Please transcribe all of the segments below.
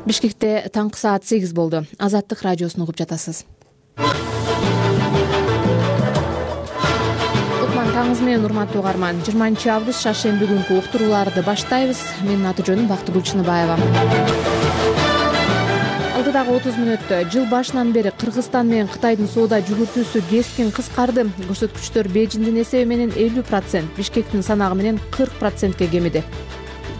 Бишкекте таңкы саат 8 болду. Азаттык радиосун угуп жатасыз. Кутман таңыңыз менен урматтуу угарман. 20 август шаршемби күнкү уктурууларды баштайбыз. Менин аты жөнүм Бактыгүл Чыныбаева. Алдыдагы 30 мүнөттө жыл башынан бери Кыргызстан менен Кытайдын соода жүгүртүүсү кескин кыскарды. Көрсөткүчтөр Бейжиңдин эсеби менен 50%, Бишкектин санагы менен 40%ке кемиди.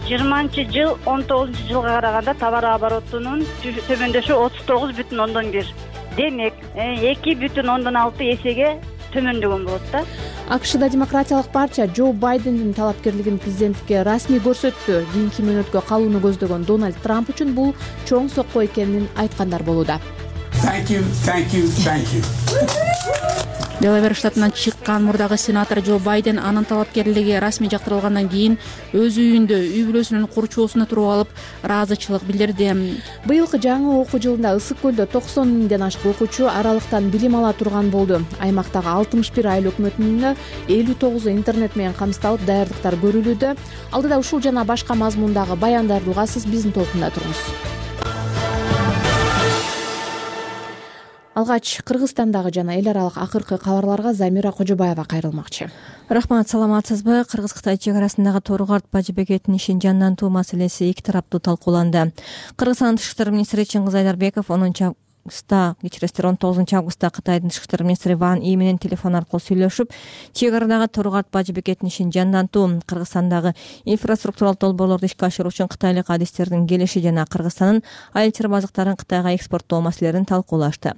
20-жыл 19-жылга караганда товар оборотунун төмөндөшү 39,1. Демек, 2,6 эсеге төмөндөгөн болот да. АКШда демократиялык партия Джо Байдендин талапкерлигин президенттикке расмий көрсөттү. Кийинки мөөнөткө калууну көздөгөн Дональд Трамп үчүн бул чоң сокко экенин айткандар болууда. Thank you. Делавер штатынан чыккан мурдагы сенатор Джо Байден анын талапкерлиги расмий жактырылгандан кийин өз үйүндө үй бүлөсүнүн курчоосуна туруп алып ыраазычылык билдирди. Быйылкы жаңы окуу жылында Ысык көлдө 90 миңден ашык окуучу аралыктан билим ала турган болду. Аймактагы 61 айыл өкмөтүнүн 59 интернет менен камсыздалып, даярдыктар көрүлүүдө. Алдыда ушул жана башка мазмундагы баяндарды угасыз, биздин толкунда туруңуз. Алгач Кыргызстандагы жана эл аралык акыркы кабарларга Замира Кожобаева кайрылмакчы. Рахмат, саламатсызбы? Кыргыз-Кытай чек арасындагы Тору-Карт бажы бекетинин ишин жандантуу маселеси эки тараптуу талкууланды. Кыргызстандын тышкы иштер министри Чыңгыз Айдарбеков 19 августта Кытайдын тышкы иштер министри Ван И менен телефон аркылуу сүйлөшүп, чек арадагы Тору-Карт бажы бекетинин ишин жандантуу, Кыргызстандагы инфраструктуралык долбоорлорду ишке ашыруу үчүн кытайлык адистердин келиши жана Кыргызстандын айыл чарба азыктарын Кытайга экспорттоо маселелерин талкуулашты.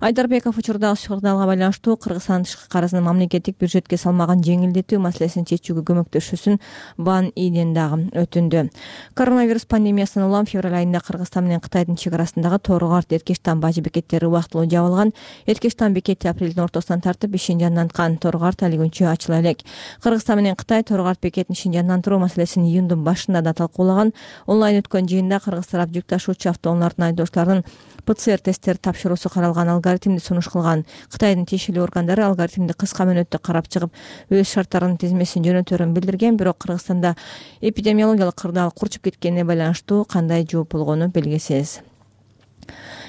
Айдарбеков учурдагы сыгырдаалга байланыштуу Кыргызстандын тышкы карызын мамлекеттик бюджетке салмаган жеңилдетүү маселесин чечүүгө көмөктөшүүсүн Ван Иден дагы өтүндү. Коронавирус пандемиясынан улам февраль айында Кыргызстан менен Кытайдын чек арасындагы Тору-Карт Эркештан бажы бекеттери убактылуу жабылган. Эркештан бекети апрелдин ортосунан тартып ишин жанданткан. Тору-Карт али күнчө ачыла элек. Кыргызстан менен Кытай Тору-Карт бекетинин ишин жандандыруу маселесин июндун башында да талкуулаган. Онлайн өткөн жыйында кыргыз тарап жүк ташуучу автоунаалардын айдоочуларынын ПЦР тесттери тапшыруусу каралган алгоритмди сунуш кылган. Кытайдын тиешелүү органдары алгоритмди кыска мөөнөттө карап чыгып, өз шарттарынын тизмесин жөнөтөрүн билдирген, бирок Кыргызстанда эпидемиологиялык кырдаал курчуп кеткенине байланыштуу кандай жооп болгону белгисиз.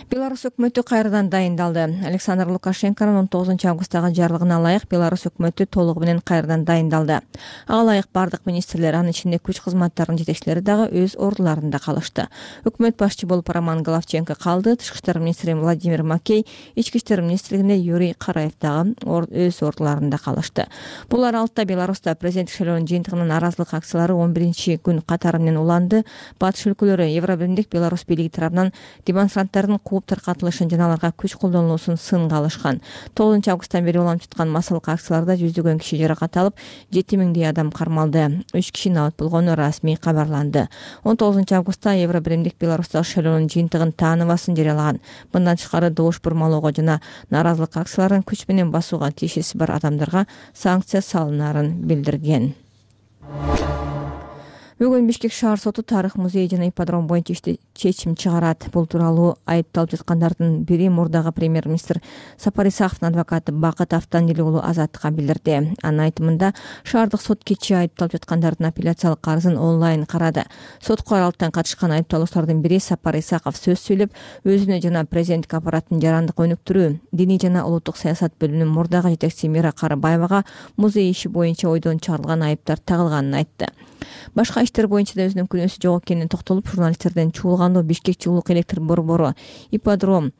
Беларусь өкмөтү кайрадан дайындалды. Александр Лукашенконун 19 августтагы жарлыгына ылайык Беларусь өкмөтү толугу менен кайрадан дайындалды. Ага ылайык бардык министрлер, анын ичинде күч кызматтарынын жетекчилери дагы өз ордуларында калышты. Өкмөт башчы болуп Роман Головченко калды. Тышкы иштер министри Владимир Макей, ички иштер министрлигинде Юрий Караев дагы өз ордуларында калышты. Булар алтта Беларусьта президенттик шайлоонун жыйынтыгынын нааразылык акциялары 11 күн катары менен уланды. Батыш өлкөлөрү Евробиримдик Беларусь бийлиги тарабынан демонстранттардын таркатылышын жана аларга күч колдонулуусун сынга алышкан. 9 августтан бери уланып жаткан массалык акцияларда жүздөгөн киши жаракат алып, 7000 адам кармалды. 3 киши абат болгону расмий кабарланды. 19 августта Евробиримдик Беларустагы шайлоонун жыйынтыгын тааныбасын жарыялаган. Мындан тышкары добуш бурмалоого жана нааразылык акцияларын күч менен басууга тиешеси бар адамдарга санкция салынарын билдирген. Бүгүн Бишкек шаар соту тарых музей жана ипподром боюнча чечим чыгарат. Бул тууралуу айыпталып жаткандардын бири мурдагы премьер-министр Сапар Исаковдун адвокаты Бакыт Автандили уулу Азаттыкка билдирди. Анын айтымында шаардык сот кечээ айыпталып жаткандардын апелляциялык арызын онлайн карады. Сотко аралыктан катышкан айыпталуучулардын бири Сапар Исаков сөз сүйлөп, өзүнө жана президенттик аппараттын жарандык өнүктүрүү, диний жана улуттук саясат бөлүмүнүн мурдагы жетекчиси Мира Карыбаевага музей иши боюнча ойдон чыгарылган айыптар тагылганын айтты. Башка иштер боюнча да өзүнүн күнөөсү жок экенин токтолуп, журналисттерден чуулгандуу Бишкек жылуулук электр борбору, ипподром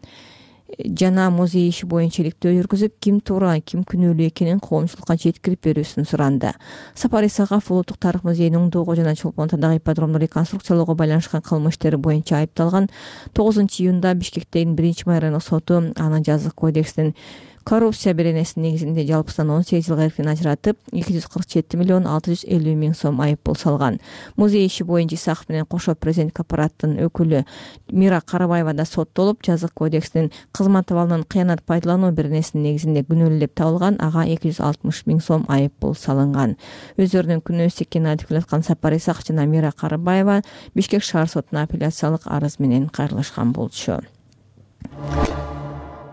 жана музей иши боюнча иликтөө жүргүзүп, ким туура, ким күнөөлүү экенин коомчулукка жеткирип берүүсүн суранды. Сапар Исаков улуттук тарых музейинин оңдоого жана Чолпон Атадагы ипподромду реконструкциялоого байланышкан кылмыш иштери боюнча айыпталган. 9 июнда Бишкектеги 1 райондук соту анын жазык кодексинин коррупция беренесинин негизинде жалпысынан 18 жылга эркин ажыратып, 247,650,000 сом айыппул салган. Музей иши боюнча Исаков менен кошо президенттик аппараттын өкүлү Мира Карыбаева да соттолуп, жазык кодексинин кызмат абалынан кыянат пайдалануу беренесинин негизинде күнөөлүү деп табылган, ага 260,000 сом айыппул салынган. Өздөрүнүн күнөөсү экенин айтып келаткан Сапар Исаков жана Мира Карыбаева Бишкек шаар сотуна апелляциялык арыз менен кайрылышкан болчу.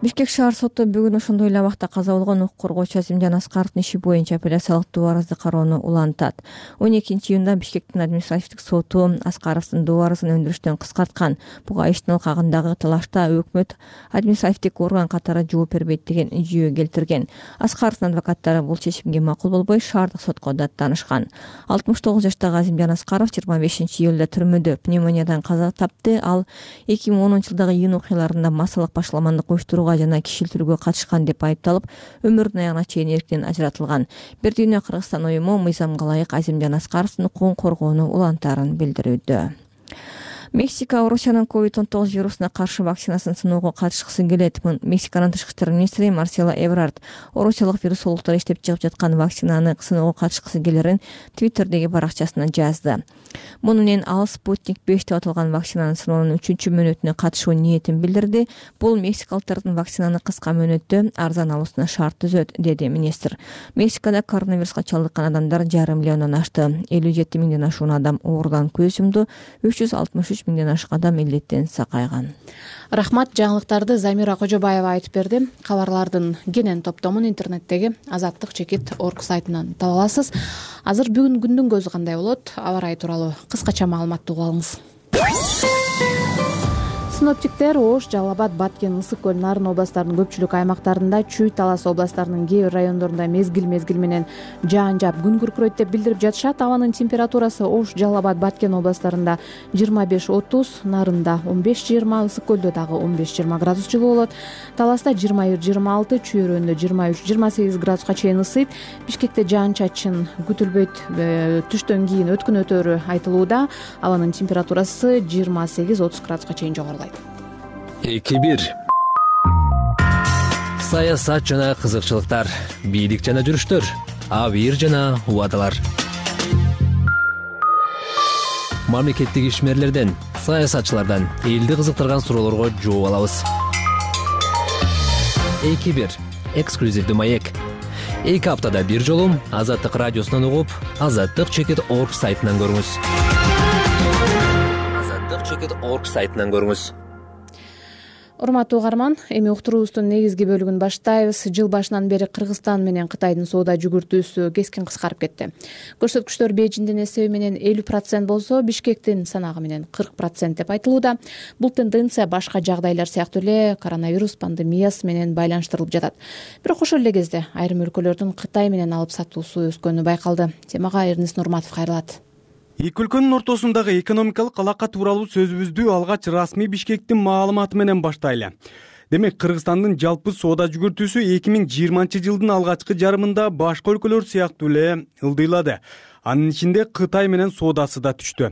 Бишкек шаар соту бүгүн ошондой эле абакта каза болгон укук коргоочу Азимжан Аскаровдун иши боюнча апелляциялык доо арызды кароону улантат. 12-июнда Бишкектин административдик соту Аскаровдун доо арызын өндүрүштөн кыскарткан. Буга иштин алкагындагы талашта өкмөт административдик орган катары жооп бербейт деген жүйө келтирген. Аскаровдун адвокаттары бул чечимге макул болбой шаардык сотко даттанышкан. 69 жаштагы Азимжан Аскаров 25-июлда түрмөдө пневмониядан каза тапты. Ал 2010-жылдагы июнь окуяларында массалык башаламандык уюштурууга жана кишилтирүүгө катышкан деп айыпталып, өмүрүнүн аягына чейин эрктен ажыратылган. Бир дүйнө Кыргызстан уюму мыйзамга ылайык Азимжан Аскаровдун укугун коргоону улантаарын билдирүүдө. Мексика Орусиянын COVID-19 вирусуна каршы вакцинасын сыноого катышкысы келет. Мексиканын тышкы иштер министри Марсело Эбрард орусиялык вирусологдор иштеп чыгып жаткан вакцинаны сыноого катышкысы келерин Твиттердеги баракчасына жазды. Муну менен ал Спутник 5 деп аталган вакцинанын сыноонун 3-чү мөөнөтүнө катышуу ниетин билдирди. Бул мексикалыктардын вакцинаны кыска мөөнөттө арзан алуусуна шарт түзөт, деди министр. Мексикада коронавируска чалдыккан адамдар 5,5 миллиондон ашты. 57 миңден ашуун адам оорудан көз жумду. 363 миңден ашык адам илдеттен сакайган. Рахмат, жаңылыктарды Замира Кожобаева айтып берди. Кабарлардын кенен топтомун интернеттеги azattik.org сайтынан таба аласыз. Азыр бүгүн күндүн көзү кандай болот? Аба ырайы тууралуу кыскача маалыматты угуп алыңыз. Синоптиктер Ош, Жалал Абад, Баткен, Ысык көл, Нарын областарынын көпчүлүк аймактарында, Чүй, Талас областарынын кээ бир райондорунда мезгил менен жаан жаап күн күркүрөйт деп билдирип жатышат. Абанын температурасы Ош, Жалал Абад, Баткен областарында 25-30, Нарында 15-20, Ысык көлдө дагы 15-20 градус жылуу болот. Таласта 21-26, Чүй өрөөнүндө 23-28 градуска чейин ысыйт. Бишкекте жаан-чачын күтүлбөйт. Түштөн кийин өткүн өтөөрү айтылууда. Абанын температурасы 28-30 градуска чейин жогорулайт. 2-1 саясат жана кызыкчылыктар, бийлик жана жүрүштөр, абийир жана убадалар. Мамлекеттик ишмерлерден, саясатчылардан элди кызыктырган суроолорго жооп алабыз. 2-1 эксклюзивдүү маек. 2 аптада бир жолу Азаттык радиосунан угуп, azattik.org сайтынан көрүңүз. azattik.org сайтынан көрүңүз. Урматтуу угарман, эми уктуруубуздун негизги бөлүгүн баштайбыз. Жыл башынан бери Кыргызстан менен Кытайдын соода жүгүртүүсү кескин кыскарып кетти. Көрсөткүчтөр Бейжиңдин эсеби менен 50% болсо, Бишкектин санагы менен 40% деп айтылууда. Бул тенденция башка жагдайлар сыяктуу эле коронавирус пандемиясы менен байланыштырылып жатат. Бирок ошол эле кезде айрым өлкөлөрдүн Кытай менен алып сатуусу өскөнү байкалды. Темага Эрнис Нурматов кайрылат. Эки өлкөнүн ортосундагы экономикалык алака тууралуу сөзүбүздү алгач расмий Бишкектин маалыматы менен баштайлы. Демек, Кыргызстандын жалпы соода жүгүртүүсү 2020-жылдын алгачкы жарымында башка өлкөлөр сыяктуу эле ылдыйлады. Анын ичинде Кытай менен соодасы да түштү.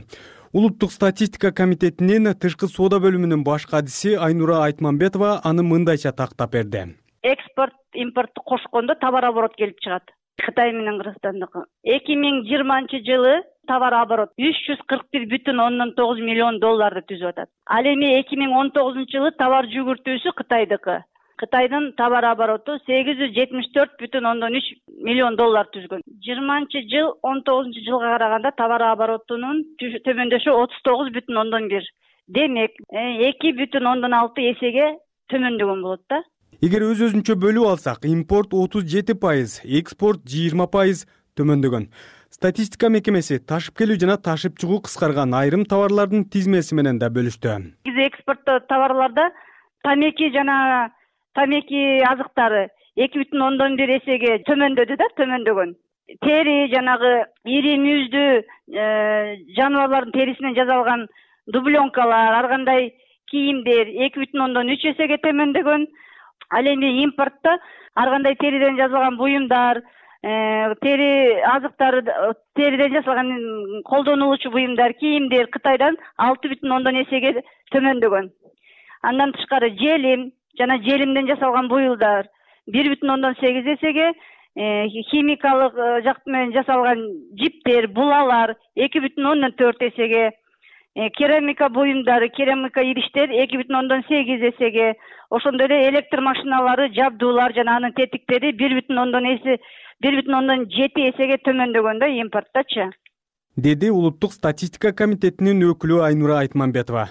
Улуттук статистика комитетинин тышкы соода бөлүмүнүн баш кадиси Айнура Айтмамбетова аны мындайча тактап берди. Экспорт, импортты кошкондо товар оборот келип чыгат. Кытай менен Кыргызстандыкы 2020-жылы товар оборот 341,9 миллион долларды түзүп атат. Ал эми 2019-жылы товар жүгүртүүсү Кытайдыкы. Кытайдын товар обороту 874,3 миллион доллар түзгөн. 20-жыл 19-жылга караганда товар оборотунун төмөндөшү 39,1. Демек, 2,6 эсеге төмөндөгөн болот да. Эгер өз-өзүнчө бөлүп алсак, импорт 37%, экспорт 20% төмөндөгөн. Статистика мекемеси ташып келүү жана ташып чыгуу кыскарган айрым товарлардын тизмеси менен да бөлүштү. Экспорттоо товарларда тамеки жана тамеки азыктары 2,1 эсеге төмөндөгөн. Тери жанагы ири мүйүздүү жаныбарлардын терисинен жасалган дубленкалар, ар кандай кийимдер 2,3 эсеге төмөндөгөн. Ал эми импортто ар кандай териден жасалган буюмдар, тери азыктары, териден жасалган колдонулуучу буюмдар, кийимдер Кытайдан 6,1 эсеге төмөндөгөн. Андан тышкары желим жана желимден жасалган буюлдар 1,8 эсеге, химикалык жакты менен жасалган жиптер, булалар 2,4 эсеге, керамика буюмдары, керамика идиштер 2,8 эсеге, ошондой эле электр машиналары, жабдуулар жана анын тетиктери 1,7 эсеге төмөндөгөн да импортточу. Деди Улуттук статистика комитетинин өкүлү Айнура Айтмамбетова.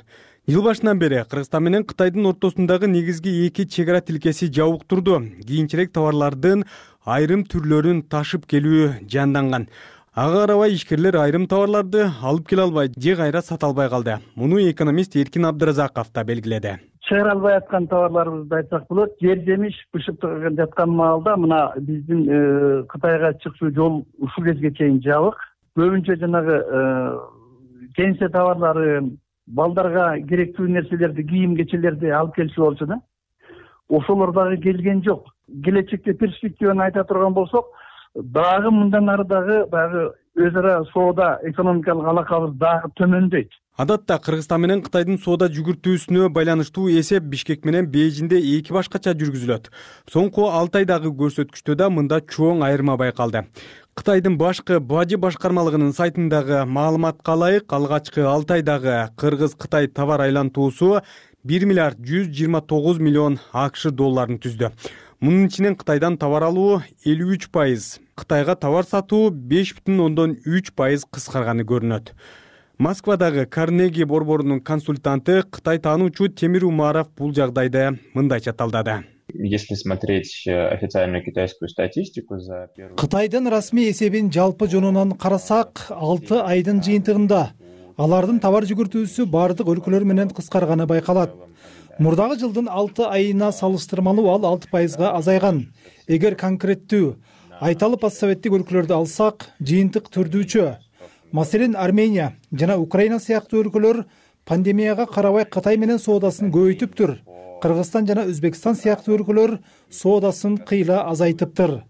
Жыл башынан бери Кыргызстан менен Кытайдын ортосундагы негизги эки чек ара тилкеси жабык турду. Кийинчерээк товарлардын айрым түрлөрүн ташып келүү жанданган. Ага карабай ишкерлер айрым товарларды алып келе албай же кайра сата албай калды. Муну экономист Эркин Абдыразаков да белгиледи. Чыгара албай аткан товарларыбызды айтсак болот. Жер жемиш бышып жаткан маалда мына биздин Кытайга чыкчу жол ушул кезге чейин жабык. Көбүнчө жанагы кеңсе товарлары, балдарга керектүү нерселерди, кийим кечелерди алып келчү болчу да. Ошолор дагы келген жок. Келечекте перспективаны айта турган болсок, дагы мындан ары дагы баягы өз ара соода экономикалык алакабыз дагы төмөндөйт. Адатта Кыргызстан менен Кытайдын соода жүгүртүүсүнө байланыштуу эсеп Бишкек менен Бейжиңде эки башкача жүргүзүлөт. Соңку 6 айдагы көрсөткүчтө да мында чоң айырма байкалды. Кытайдын башкы бажы башкармалыгынын сайтындагы маалыматка ылайык, алгачкы 6 айдагы Кыргыз-Кытай товар айлантуусу 1 миллиард 129 миллион АКШ долларын түздү. Мунун ичинен Кытайдан товар алуу 53%, Кытайга товар сатуу 5,3% кыскарганы көрүнөт. Москвадагы Карнеги борборунун консультанты, Кытай таануучу Темир Умаров бул жагдайды мындайча талдады. Если смотреть официальную китайскую статистику за первый... Кытайдын расмий эсебин жалпы жонунан карасак, 6 айдын жыйынтыгында алардын товар жүгүртүүсү бардык өлкөлөр менен кыскарганы байкалат. Мурдагы жылдын 6 айына салыштырмалуу ал 6%га азайган. Эгер конкреттүү айталып постсоветтик өлкөлөрдү алсак, жыйынтык түрдүүчө. Маселен, Армения жана Украина сыяктуу өлкөлөр пандемияга карабай Кытай менен соодасын көбөйтүптүр. Кыргызстан жана Өзбекстан сыяктуу өлкөлөр соодасын кыйла азайтыптыр.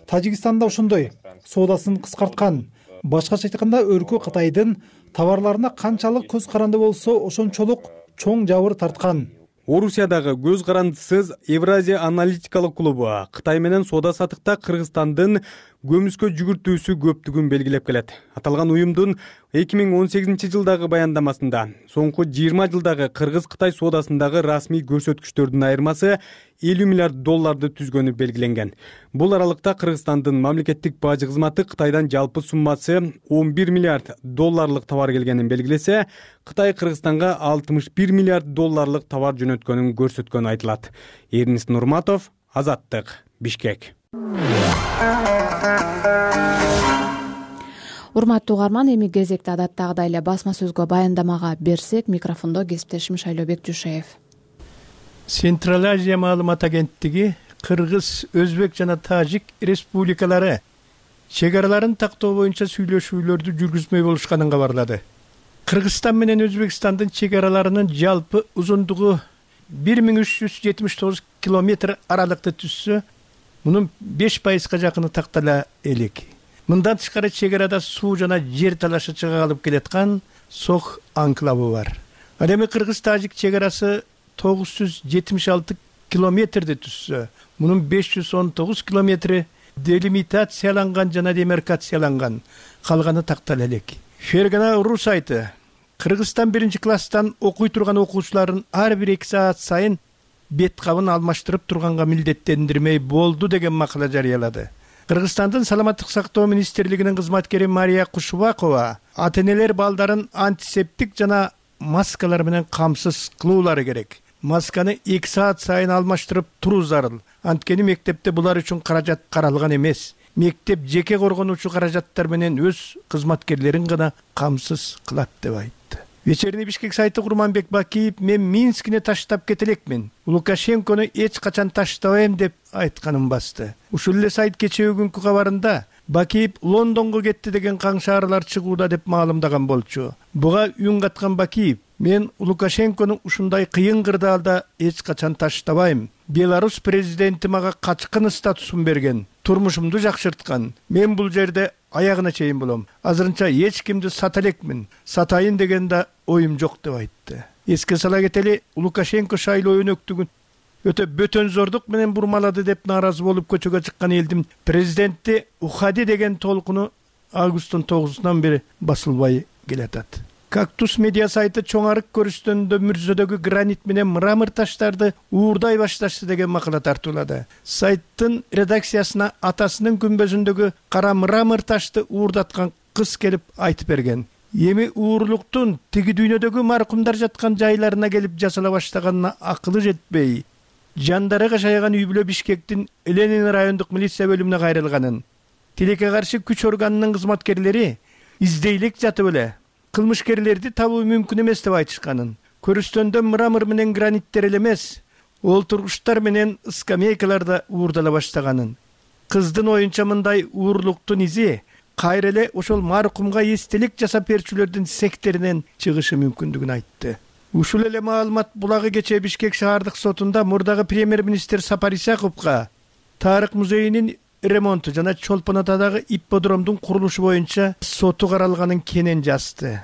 Тажикстан да ошондой, соодасын кыскарткан. Башкача айтканда, өлкө Кытайдын товарларына канчалык көз каранды болсо, ошончолук чоң жабыр тарткан. Орусиядагы көз карандысыз Евразия аналитикалык клубу Кытай менен соода сатыкта Кыргызстандын көмүскө жүгүртүүсү көптүгүн белгилеп келет. Аталган уюмдун 2018 жылдагы баяндамасында соңку 20 жылдагы Кыргыз-Кытай соодасындагы расмий көрсөткүчтөрдүн айырмасы 50 миллиард долларды түзгөнү белгиленген. Бул аралыкта Кыргызстандын мамлекеттик бажы кызматы Кытайдан жалпы суммасы 11 миллиард долларлык товар келгенин белгилесе, Кытай Кыргызстанга 61 миллиард долларлык товар жөнөткөнүн көрсөткөнү айтылат. Эрнис Нурматов, Азаттык, Бишкек. Урматтуу угарман, эми кезекте адаттагыдай эле басма сөзгө баяндамага берсек, микрофондо кесиптешим Шайлообек Жушеев. Централ Азия маалымат агенттиги Кыргыз, Өзбек жана Тажик республикалары чек араларын тактоо боюнча сүйлөшүүлөрдү жүргүзмөй болушканын кабарлады. Кыргызстан менен Өзбекстандын чек араларынын жалпы узундугу 1379 километр аралыкты түзсө, мунун 5%га жакыны тактала элек. Мындан тышкары чек арада суу жана жер талашы чыга алып келаткан Сох анклавы бар. Ал эми Кыргыз-Тажик чек арасы 976 километрди түзсө, мунун 519 километри делимитацияланган жана демаркацияланган, калганы тактала элек. Фергана.ру сайты Кыргызстан 1-класстан окуй турган окуучуларын ар бир 2 саат сайын бет кабын алмаштырып турганга милдеттендирмей болду деген макала жарыялады. Кыргызстандын саламаттык сактоо министрлигинин кызматкери Мария Кушубакова ата-энелер балдарын антисептик жана маскалар менен камсыз кылуулары керек. Масканы 2 саат сайын алмаштырып туруу зарыл. Анткени мектепте булар үчүн каражат каралган эмес. Мектеп жеке коргонуучу каражаттар менен өз кызматкерлерин гана камсыз кылат деп айтты. Вечерний Бишкек сайты Курманбек Бакиев мен Минскине таштап кетелекмин. Лукашенкону эч качан таштабайм деп айтканын басты. Ушул эле сайт кечээ күнкү кабарында Бакиев Лондонго кетти деген каңшааралар чыгууда деп маалымдаган болчу. Буга үн каткан Бакиев: мен Лукашенкону ушундай кыйын кырдаалда эч качан таштабайм. Беларусь президенти мага качкын статусун берген, турмушумду жакшырткан. Мен бул жерде аягына чейин болом. Азырынча эч кимди сата элекмин. Сатайын деген да оюм жок деп айтты. Эске сала кетели, Лукашенко шайлоо өнөктүгүн өтө бөтөнзордук менен бурмалады деп нааразы болуп көчөгө чыккан элдин президенти Ухади деген толкуну августтун 9-унан бери басылбай келатат. Кактус медиа сайты чоң арык көрүстөнүндө Мүрзөдөгү гранит менен мрамор таштарды уурдай башташты деген макала тартуулады. Сайттын редакциясына атасынын күмбөзүндөгү кара мрамор ташты уурдаткан кыз келип айтып берген. эми уурулуктун тиги дүйнөдөгү маркумдар жаткан жайларына келип жасала баштаганына акылы жетпей, жандары кашаяган үй бүлө Бишкектин Ленин райондук милиция бөлүмүнө кайрылганын, тилекке каршы күч органынын кызматкерлери издейлик жатып эле кылмышкерлерди табуу мүмкүн эмес деп айтышканын, көрүстөндө мрамор менен граниттер эле эмес, олтургучтар менен скамейкаларда уурдала баштаганын, кыздын оюнча мындай уурулуктун изи кайра эле ошол маркумга эстелик жасап берүүчүлөрдүн сектеринен чыгышы мүмкүндүгүн айтты. Ушул эле маалымат булагы кечээ Бишкек шаардык сотунда мурдагы премьер-министр Сапар Исаковго Тарых музейинин ремонту жана Чолпон Атадагы ипподромдун курулушу боюнча соту каралганын кенен жазды.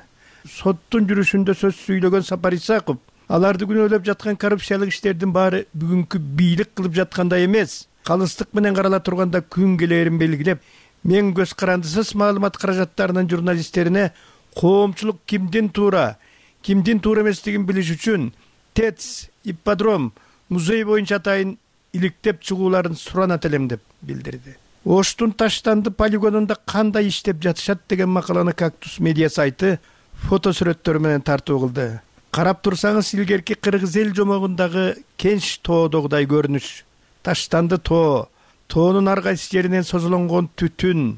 Соттун жүрүшүндө сөз сүйлөгөн Сапар Исаков аларды күнөөлөп жаткан коррупциялык иштердин баары бүгүнкү бийлик кылып жаткандай эмес, калыстык менен карала турганда күн келээрин белгилеп, мен көз карандысыз маалымат каражаттарынын журналисттерине коомчулук кимдин туура эместигин билиш үчүн ТЭЦ, ипподром, музей боюнча атайын иликтеп чыгууларын суранат элем деп билдирди. Оштун Таштанды полигонунда кандай иштеп жатышат деген макаланы Кактус медиа сайты фотосүрөттөрү менен тартуу кылды. Карап турсаңыз, илгерки кыргыз эл жомогундагы Кенч тоодогудай көрүнүш. Таштанды тоонун ар кайсы жеринен созулонгон түтүн,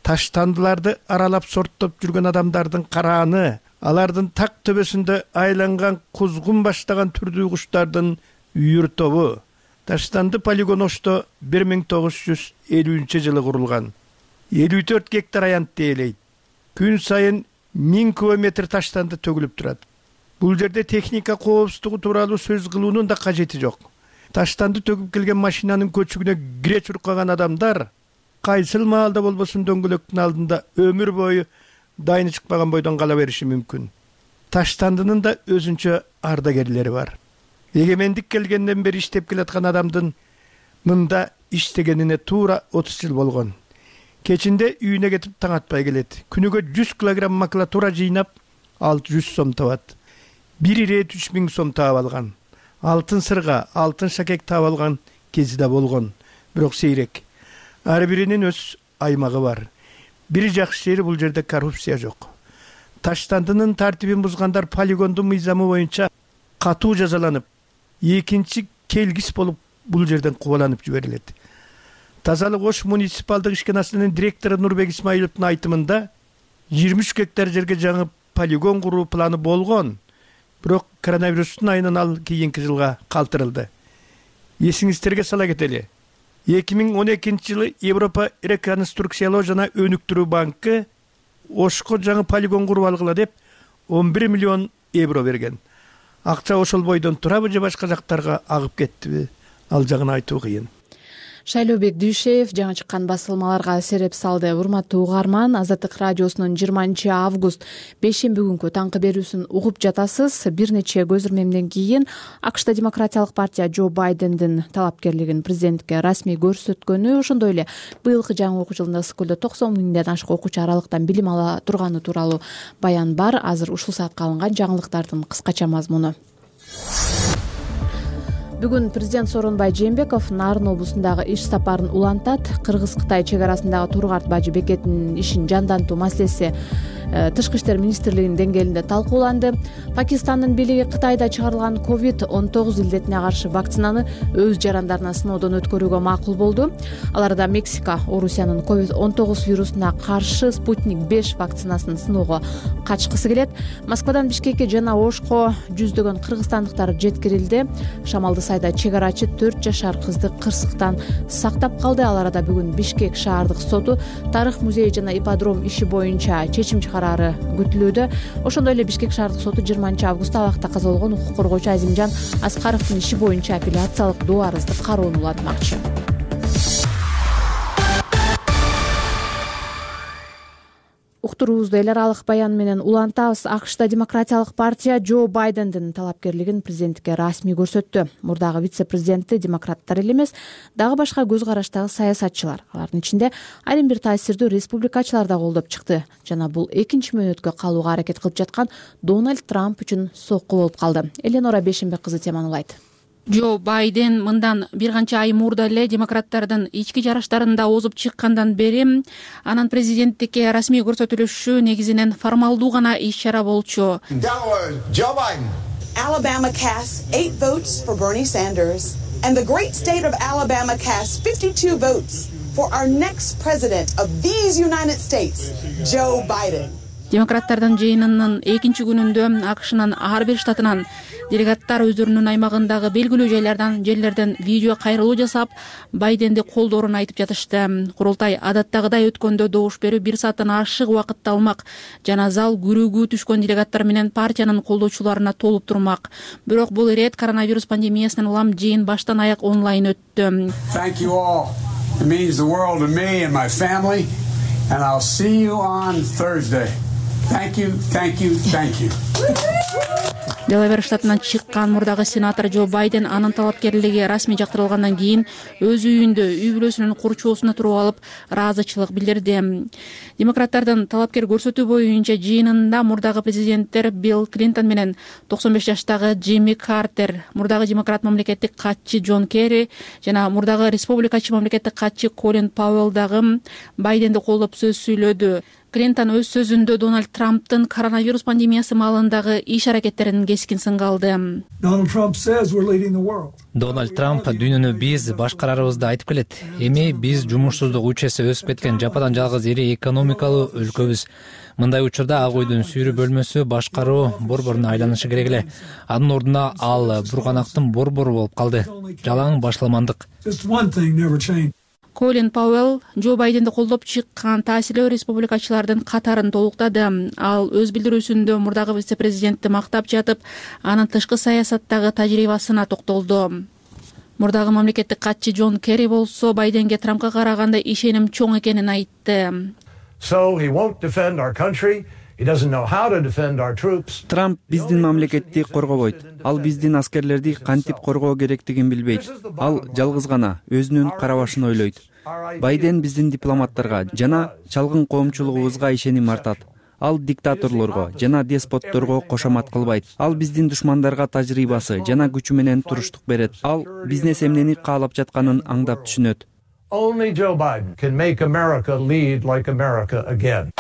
таштандыларды аралап сорттоп жүргөн адамдардын карааны, алардын так төбөсүндө айланган кузгун баштаган түрдүү куштардын үйүр тобу. Таштанды полигон Ошто 1950-жылы курулган. 54 гектар аянтты ээлейт. Күн сайын 1000 кубометр таштанды төгүлүп турат. Бул жерде техника коопсуздугу тууралуу сөз кылуунун да кажети жок. Таштанды төгүп келген машинанын көчүгүнө кире чуркаган адамдар кайсыл маалда болбосун дөңгөлөктүн алдында өмүр бою дайыны чыкпаган бойдон кала бериши мүмкүн. Таштандынын да өзүнчө ардагерлери бар. Эгемендик келгенден бери иштеп келаткан адамдын мында иштегенине туура 30 жыл болгон. Кечинде үйүнө кетип таң атпай келет. Күнүгө 100 килограмм макулатура жыйнап 600 сом табат. Бир ирет 3000 сом таап алган. Алтын сырга, алтын шакек таап алган кези да болгон, бирок сейрек. Ар биринин өз аймагы бар. Бир жакшы жери бул жерде коррупция жок. Таштандынын тартибин бузгандар полигондун мыйзамы боюнча катуу жазаланып, экинчи келгис болуп бул жерден кубаланып жиберилет. Тазалык Ош муниципалдык ишканасынын директору Нурбек Исмаиловдун айтымында 23 гектар жерге жаңы полигон куруу планы болгон, бирок коронавирустун айынан ал кийинки жылга калтырылды. Эсиңиздерге сала кетели. 2012-жылы Европа реконструкциялоо жана өнүктүрүү банкы Ошко жаңы полигон куруп алгыла деп 11 миллион евро берген. Акча ошол бойдон турабы же башка жактарга агып кеттиби? Ал жагын айтуу кыйын. Шайлообек Дүйшеев жаңы чыккан басылмаларга сереп салды. Урматтуу угарман, Азаттык радиосунун 20-август бейшемби күнкү таңкы берүүсүн угуп жатасыз. Бир нече көз ирмемден кийин АКШта Демократиялык партия Джо Байдендин талапкерлигин президентке расмий көрсөткөнү, ошондой эле быйылкы жаңы окуу жылында Ысыккөлдө 90 миңден ашык окуучу аралыктан билим ала турганы тууралуу баян бар. Азыр ушул саатка алынган жаңылыктардын кыскача мазмуну. Бүгүн президент Сооронбай Жээнбеков Нарын облусундагы иш сапарын улантат. Кыргыз-Кытай чек арасындагы Тургат Бажы бекетинин ишин жандантуу маселеси Тышкы иштер министрлигинин деңгээлинде талкууланды. Пакистандын бийлиги Кытайда чыгарылган COVID-19 илдетине каршы вакцинаны өз жарандарына сыноодон өткөрүүгө макул болду. Аларда Мексика Орусиянын COVID-19 вирусуна каршы Спутник 5 вакцинасын сыноого катышкысы келет. Москвадан Бишкекке жана Ошко жүздөгөн кыргызстандыктар жеткирилди. Шамалды сайда чек арачы 4 жашар кызды кырсыктан сактап калды. Ал арада бүгүн Бишкек шаардык соту Тарых музей жана ипподром иши боюнча чечим карары күтүлүүдө. Ошондой эле Бишкек шаардык соту 20-августта абакта каза болгон укук коргоочу Азимжан Аскаровдун иши боюнча апелляциялык доо арызды кароону улантмакчы. Уктуруубузду эл аралык баян менен улантабыз. АКШта Демократиялык партия Джо Байдендин талапкерлигин президентке расмий көрсөттү. Мурдагы вице-президенти демократтар эле эмес, дагы башка көз караштагы саясатчылар, алардын ичинде айрым бир таасирдүү республикачылар да колдоп чыкты жана бул экинчи мөөнөткө калууга аракет кылып жаткан Дональд Трамп үчүн сокку болуп калды. Эленора Бейшембек кызы теманы улайт. Джо Байден мындан бир канча ай мурда эле демократтардын ички жарыштарында озуп чыккандан бери анын президенттикке расмий көрсөтүлүшү негизинен формалдуу гана иш-чара болчу. Joe Biden. Alabama cast 8 votes for Bernie Sanders, and the great state of Alabama cast 52 votes for our next president of these United States, Joe Biden. Демократтардын жыйынынын экинчи күнүндө АКШнын ар бир штатынан делегаттар өздөрүнүн аймагындагы белгилүү жерлерден видео кайрылуу жасап, Байденди колдоорун айтып жатышты. Курултай адаттагыдай өткөндө добуш берүү 1 сааттан ашык убакытты алмак жана зал күрөөгө түшкөн делегаттар менен партиянын колдоочуларына толуп турмак. Бирок бул ирет коронавирус пандемиясынан улам жыйын баштан аяк онлайн өттү. Thank you all. It means the world to me and my family, and I'll see you on Thursday. Thank you, thank you, thank you. Делавер штатынан чыккан мурдагы сенатор Джо Байден анын талапкерлиги расмий жактырылгандан кийин өз үйүндө үй бүлөсүнүн курчоосуна туруп алып ыраазычылык билдирди. Демократтардын талапкер көрсөтүү боюнча жыйынында мурдагы президенттер Билл Клинтон менен 95 жаштагы Джимми Картер, мурдагы демократ мамлекеттик катчы Джон Керри жана мурдагы республикачы мамлекеттик катчы Колин Пауэлл дагы Байденди колдоп сөз сүйлөдү. Клинтон өз сөзүндө Дональд Трамптын коронавирус пандемиясы маалындагы иш-аракеттерин кескин сынга алды. Дональд Трамп дүйнөнү биз башкарарыбызды айтып келет. Эми биз жумушсуздук үчөсү өсүп кеткен жападан жалгыз ири экономикалуу өлкөбүз. Мындай учурда ак үйдүн сүйрүү бөлмөсү башкаруу борборуна айланышы керек эле. Анын ордуна ал бурганактын борбору болуп калды. Жалаң башламандык. Колин Пауэлл Джо Байденди колдоп чыккан таасирлүү республикачылардын катарын толуктады. Ал өз билдирүүсүндө мурдагы вице-президентти мактап жатып, анын тышкы саясаттагы тажрыйбасына токтолду. Мурдагы мамлекеттик катчы Джон Керри болсо Байденге Трампка караганда ишеним чоң экенин айтты. Трамп биздин мамлекетти коргобойт. Ал биздин аскерлерди кантип коргоо керектигин билбейт. Ал жалгыз гана өзүнүн карабашын ойлойт. Байден биздин дипломаттарга жана чалгын коомчулугубузга ишеним артат. Ал диктаторлорго жана деспотторго кошомат кылбайт. Ал биздин душмандарга тажрыйбасы жана күчү менен туруштук берет. Ал бизнес эмнени каалап жатканын аңдап түшүнөт. Only Joe Biden can make America lead like America again.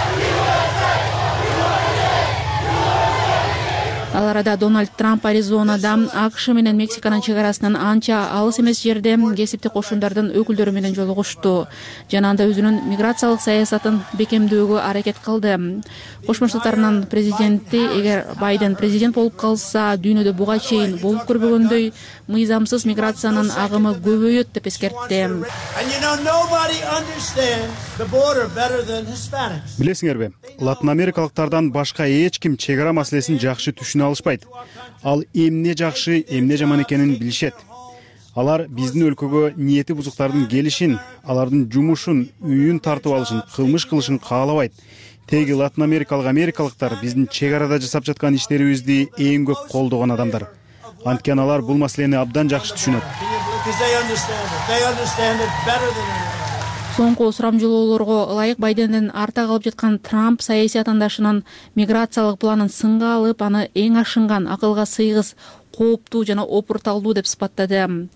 Ал арада Дональд Трамп Аризонада АКШ менен Мексиканын чек арасынан анча алыс эмес жерде кесиптик кошундардын өкүлдөрү менен жолугушту жана анда өзүнүн миграциялык саясатын бекемдөөгө аракет кылды. Кошмо Штаттарынын президенти эгер Байден президент болуп калса, дүйнөдө буга чейин болуп көрбөгөндөй мыйзамсыз миграциянын агымы көбөйөт деп эскертти. Билесиңерби, Латын Америкалыктардан башка эч ким чек ара маселесин жакшы түшүнө алышпайт. Ал эмне жакшы, эмне жаман экенин билишет. Алар биздин өлкөгө ниети бузуктардын келишин, алардын жумушун, үйүн тартып алышын, кылмыш кылышын каалабайт. Теги Латын америкалыктар биздин чек арада жасап жаткан иштерибизди эң көп колдогон адамдар. Анткени алар бул маселени абдан жакшы түшүнөт. Соңку сурамжылоолорго ылайык Байдендин арта калып жаткан Трамп саясий атаандашынын миграциялык планын сынга алып, аны эң ашынган, акылга сыйгыс, кооптуу жана опурталдуу деп сыпаттады.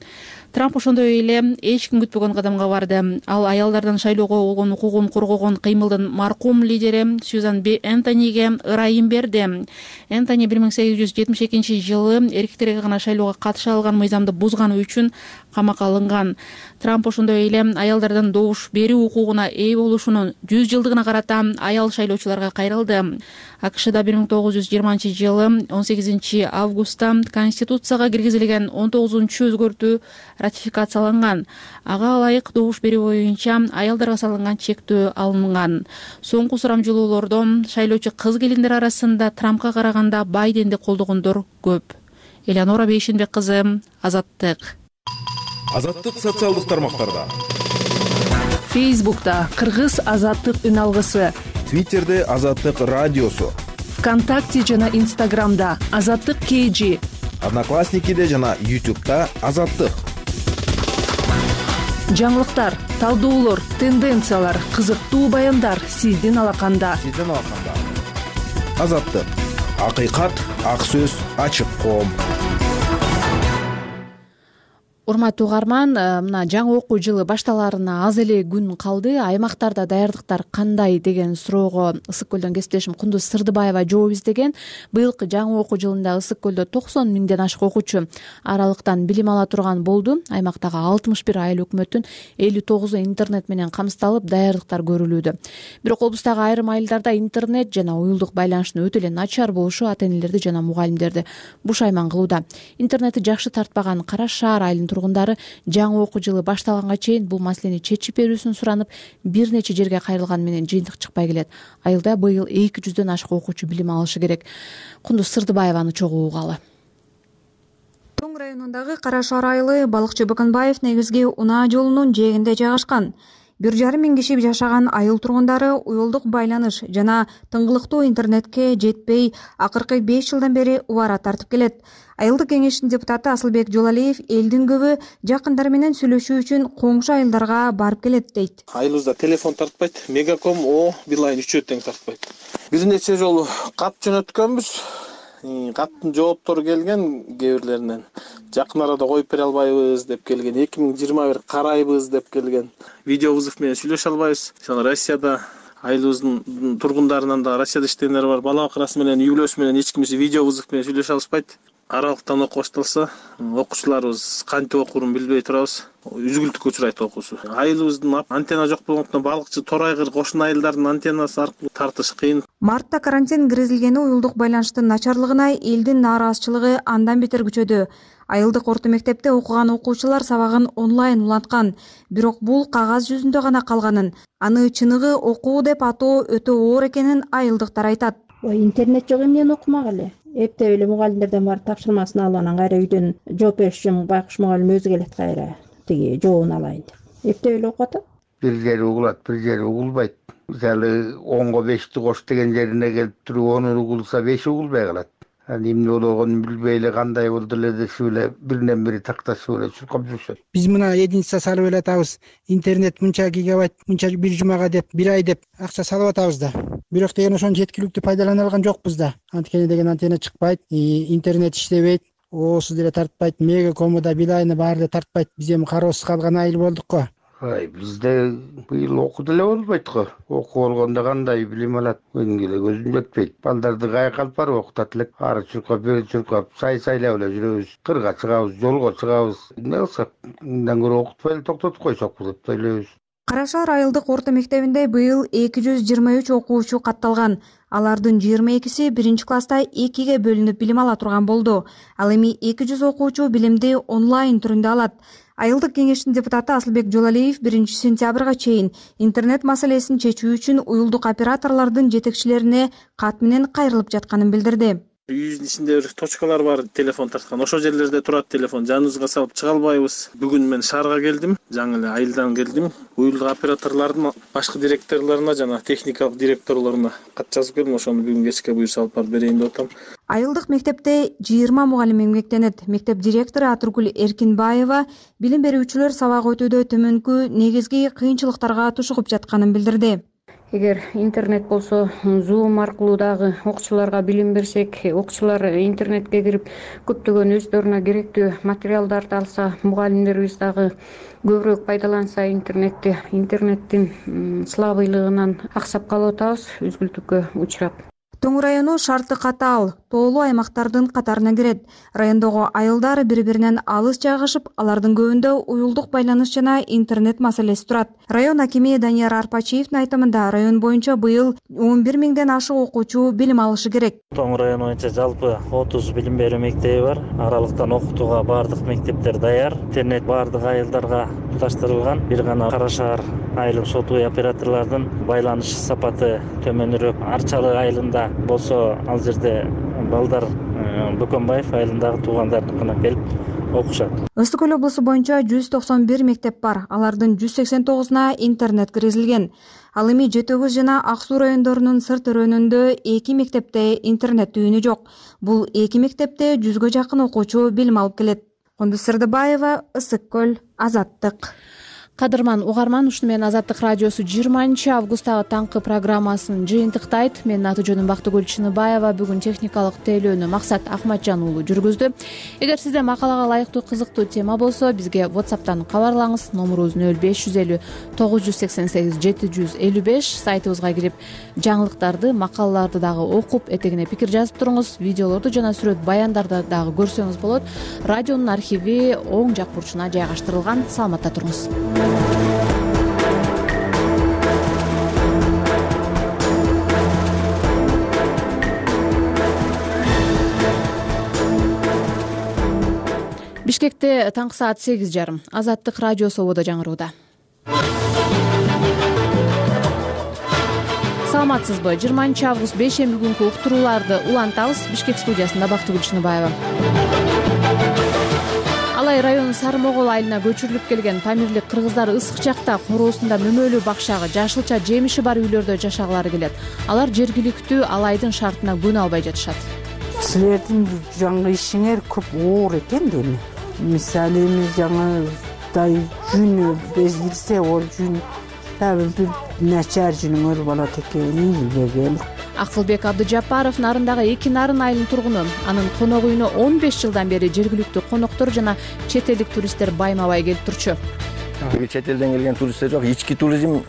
Трамп ошондой эле эч ким күтпөгөн кадамга барды. Ал аялдардан шайлоого болгон укугун коргогон кыймылдын маркум лидери Сьюзан Б. Энтониге ырайым берди. Энтони 1872 жылы эркектерге гана шайлоого катыша алган мыйзамды бузганы үчүн камакка алынган. Трамп ошондой эле аялдардын добуш берүү укугуна ээ болушунун 100 жылдыгына карата аял шайлоочуларга кайрылды. АКШда 1920 жылы 18 августта Конституцияга киргизилген 19-чу өзгөртүү ратификацияланган. Ага ылайык добуш берүү боюнча аялдарга салынган чектөө алынган. Соңку сурамжылоолордо шайлоочу кыз келиндер арасында Трампка караганда Байденди колдогондор көп. Элеонора Бейшенбек кызы, Азаттык. Азаттык социалдык тармактарда. Фейсбукта Кыргыз Азаттык үн алгысы. Твиттерде Азаттык радиосу. ВКонтакте жана Инстаграмда Азаттык KG. Одноклассникиде жана YouTube'да Азаттык. Жаңылыктар, талдоолор, тенденциялар, кызыктуу баяндар сиздин алаканда. Азаттык. Акыйкат, ак сөз, ачык коом. урматтуу угарман, мына жаңы окуу жылы башталарына аз эле күн калды. Аймактарда даярдыктар кандай деген суроого Ысык көлдөн кесиптешим Кундуз Сырдыбаева жооп издеген. Быйылкы жаңы окуу жылында Ысык көлдө 90 миңден ашык окуучу аралыктан билим ала турган болду. Аймактагы 61 айыл өкмөттүн 59 интернет менен камсыздалып, даярдыктар көрүлүүдө. Бирок облустагы айрым айылдарда интернет жана уюлдук байланыштын өтө эле начар болушу ата-энелерди жана мугалимдерди бушайман кылууда. Интернетти жакшы тартпаган Кара Шаар айылынын тургундары жаңы окуу жылы башталганга чейин бул маселени чечип берүүсүн суранып, бир нече жерге кайрылган менен жыйынтык чыкпай келет. Айылда быйыл 200дөн ашык окуучу билим алышы керек. Кундуз Сырдыбаеваны чогуу угалы. Тоң районундагы Кара Шаар айылы балыкчы Баканбаев негизги унаа жолунун жээгинде жайгашкан. 1,5 миң киши жашаган айыл тургундары уюлдук байланыш жана тыңгылыктуу интернетке жетпей, акыркы 5 жылдан бери убара тартып келет. Айылдык кеңештин депутаты Асылбек Жолалиев элдин көбү жакындары менен сүйлөшүү үчүн коңшу айылдарга барып келет дейт. Айылыбызда телефон тартпайт, Мегаком, Билайн үчөө тең тартпайт. Бир нече жолу кат жөнөткөнбүз. Каттын жооптору келген кээ бирлеринен. Жакын арада коюп бере албайбыз деп келген. 2021 карайбыз деп келген. Видео вызов менен сүйлөшө албайбыз. Россияда айылыбыздын тургундарынан да Россияда иштегендер бар. Бала бакырасы менен, үй-бүлөсү менен эч кимиси видео вызов менен сүйлөшө алышпайт. Аралыктан окуу башталса, окуучуларыбыз кантип окуурун билбей турабыз. Үзгүлтүккө учурайт окуусу. Айылыбыздын антенна жок болгондуктан балыкчы Торайгыр кошун айылдардын антеннасы аркылуу тартыш кыйын. Мартта карантин киргизилгени уюлдук байланыштын начарлыгына элдин нааразычылыгы андан бетер күчөдү. Айылдык орто мектепте окуган окуучулар сабагын онлайн уланткан. Бирок бул кагаз жүзүндө гана калганын, аны чыныгы окуу деп атоо өтө оор экенин айылдыктар айтат. Интернет жок эмнени окумак эле. Эптеп эле мугалимдерден барып тапшырмасын алып, анан кайра үйдөн жооп бериш үчүн байкуш мугалим өзү келет кайра. Тиги жообун алайын деп. Эптеп эле окуп атат. Бир жери угулат, бир жери угулбайт. Мисалы 10го 5ти кош деген жерине келип туруп 10 угулса 5 угулбай калат. Эмне болгонун билбей эле кандай болду эле дешип эле биринен бири такташып эле чуркап жүрүшөт. Биз мына единица салып эле атабыз. Интернет мынча гигабайт, мынча бир жумага деп, бир ай деп акча салып атабыз да. Бирок деген ошону жеткиликтүү пайдалана алган жокпуз да. Анткени деген антенна чыкпайт, интернет иштебейт, оосу деле тартпайт, Мегакому да, Билайны баары эле тартпайт. Биз эми кароосуз калган айыл болдук го. Бизде быйыл окуу деле болбойт го. Окуу болгондо кандай билим алат? Өнүгө эле көзүм жетпейт. Балдарды кайык алып барып окутат элек. Ары чуркап, бери чуркап, сайлап эле жүрөбүз. Кырга чыгабыз, жолго чыгабыз. Эмне кылсак, мындан көрө окутпай эле токтотуп койсокпу деп ойлойбуз. Кара Шаар айылдык орто мектебинде быйыл 223 окуучу катталган. Алардын 22си 1-класста 2ге бөлүнүп билим ала турган болду. Ал эми 200 окуучу билимди онлайн түрүндө алат. Айылдык кеңештин депутаты Асылбек Жолалиев 1-сентябрга чейин интернет маселесин чечүү үчүн уюлдук операторлордун жетекчилерине кат менен кайрылып жатканын билдирди. Үйүбүздүн ичинде бир точкалар бар, телефон тарткан. Ошол жерлерде турат телефон. Жаныбызга салып чыга албайбыз. Бүгүн мен шаарга келдим, жаңы эле айылдан келдим. Уюлдук операторлордун башкы директорлоруна жана техникалык директорлоруна кат жазып келдим. Ошону бүгүн кечке буюрса алып барып берейин деп атам. Айылдык мектепте 20 мугалим эмгектенет. Мектеп директору Атыргүл Эркинбаева билим берүүчүлөр сабак өтүүдө төмөнкү негизги кыйынчылыктарга тушугуп жатканын билдирди. Эгер интернет болсо, Zoom аркылуу дагы окуучуларга билим берсек, окуучулар интернетке кирип көптөгөн өздөрүнө керектүү материалдарды алса, мугалимдерибиз дагы көбүрөөк пайдаланса интернетти, интернеттин слабыйлыгынан аксап калып атабыз, үзгүлтүккө учурап. Тоң району шарты катаал, тоолуу аймактардын катарына кирет. Райондогу айылдар бири-биринен алыс жайгашып, алардын көбүндө уюлдук байланыш жана интернет маселеси турат. Район акими Данияр Арпачиевдин айтымында район боюнча быйыл 11 миңден ашык окуучу билим алышы керек. Тоң району боюнча жалпы 30 билим берүү мектеби бар. Аралыктан окутууга бардык мектептер даяр. Интернет бардык айылдарга туташтырылган. Бир гана Кара Шаар айылын сотуй операторлордун байланыш сапаты төмөнүрөөк. Арчалык айылында болсо ал жерде балдар Бөкөнбаев айылындагы туугандарыныкына келип окушат. Ысык көл облусу боюнча 191 мектеп бар. Алардын 189уна интернет киргизилген. Ал эми Жети Өгүз жана Ак Суу райондорунун сырт өрөөнүндө 2 мектепте интернет түйүнү жок. Бул 2 мектепте 100гө жакын окуучу билим алып келет. Кундуз Сырдыбаева, Ысык көл, Азаттык. Кадырман угарман, ушуну менен Азаттык радиосу 20-августтагы таңкы программасын жыйынтыктайт. Менин аты жөнүм Бактыгүл Чыныбаева. Бүгүн техникалык тейлөөнү Максат Акматжан уулу жүргүздү. Эгер сизде макалага ылайыктуу кызыктуу тема болсо, бизге WhatsApp'тан кабарлаңыз. Номурубуз 0550 988 755. Сайтыбызга кирип, жаңылыктарды, макалаларды дагы окуп, этегине пикир жазып туруңуз. Видеолорду жана сүрөт баяндарды дагы көрсөңүз болот. Радионун архиви оң жак бурчуна жайгаштырылган. Саламатта туруңуз. Бишкекте таңкы саат 8:30. Азаттык радиосу ободо жаңырууда. Саламатсызбы? 20-август бейшемби күнкү уктурууларды улантабыз. Бишкек студиясында Бактыгүл Чыныбаева. Алай районунун Сары-Могол айылына көчүрүлүп келген памирлик кыргыздар ысык жакта короосунда мөмөлүү бакчагы, жашылча жемиши бар үйлөрдө жашагылары келет. Алар жергиликтүү Алайдын шартына көнө албай жатышат. Силердин жаңы ишиңер көп оор экен дейм. Мисалы эми жаңыдай жүнү безилсе, ол жүн бир начар жүнүңөр болот экен деген. Акылбек Абдыжапаров Нарындагы 2 Нарын айылынын тургуну. Анын конок үйүнө 15 жылдан бери жергиликтүү коноктор жана чет элдик туристтер байма-бай келип турчу. Чет элден келген туристтер жок, ички туризм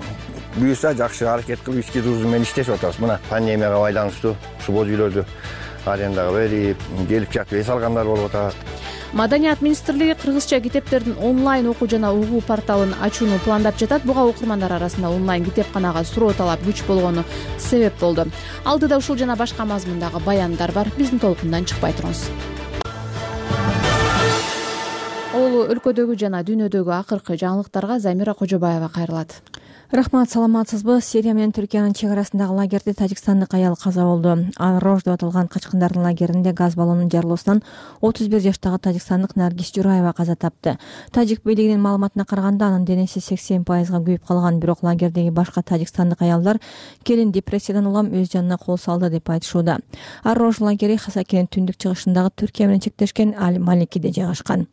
буюрса жакшы аракет кылып ички туризм менен иштешип атабыз. Мына пандемияга байланыштуу ушу боз үйлөрдү арендага берип, келип жатып эс алгандар болуп атат. Маданият министрлиги кыргызча китептердин онлайн окуу жана угуу порталын ачууну пландап жатат. Буга окурмандар арасында онлайн китепканага суроо талап күч болгону себеп болду. Алдыда ушул жана башка мазмундагы баяндар бар. Биздин толкундан чыкпай туруңуз. Өлкөдөгү жана дүйнөдөгү акыркы жаңылыктарга Замира Кожобаева кайрылат. Рахмат, саламатсызбы? Сирия менен Түркиянын чек арасындагы лагерде тажикстандык аял каза болду. Ар-Рож деп аталган качкындардын лагеринде газ баллонунун жарылуусунан 31 жаштагы тажикстандык Наргиз Жураева каза тапты. Тажик бийлигинин маалыматына караганда, анын денеси 80%га күйүп калган, бирок лагердеги башка тажикстандык аялдар келин депрессиядан улам өз жанына кол салды деп айтышууда. Ар-Рож лагери Хасакенин түндүк чыгышындагы Түркия менен чектешкен Аль-Маликиде жайгашкан.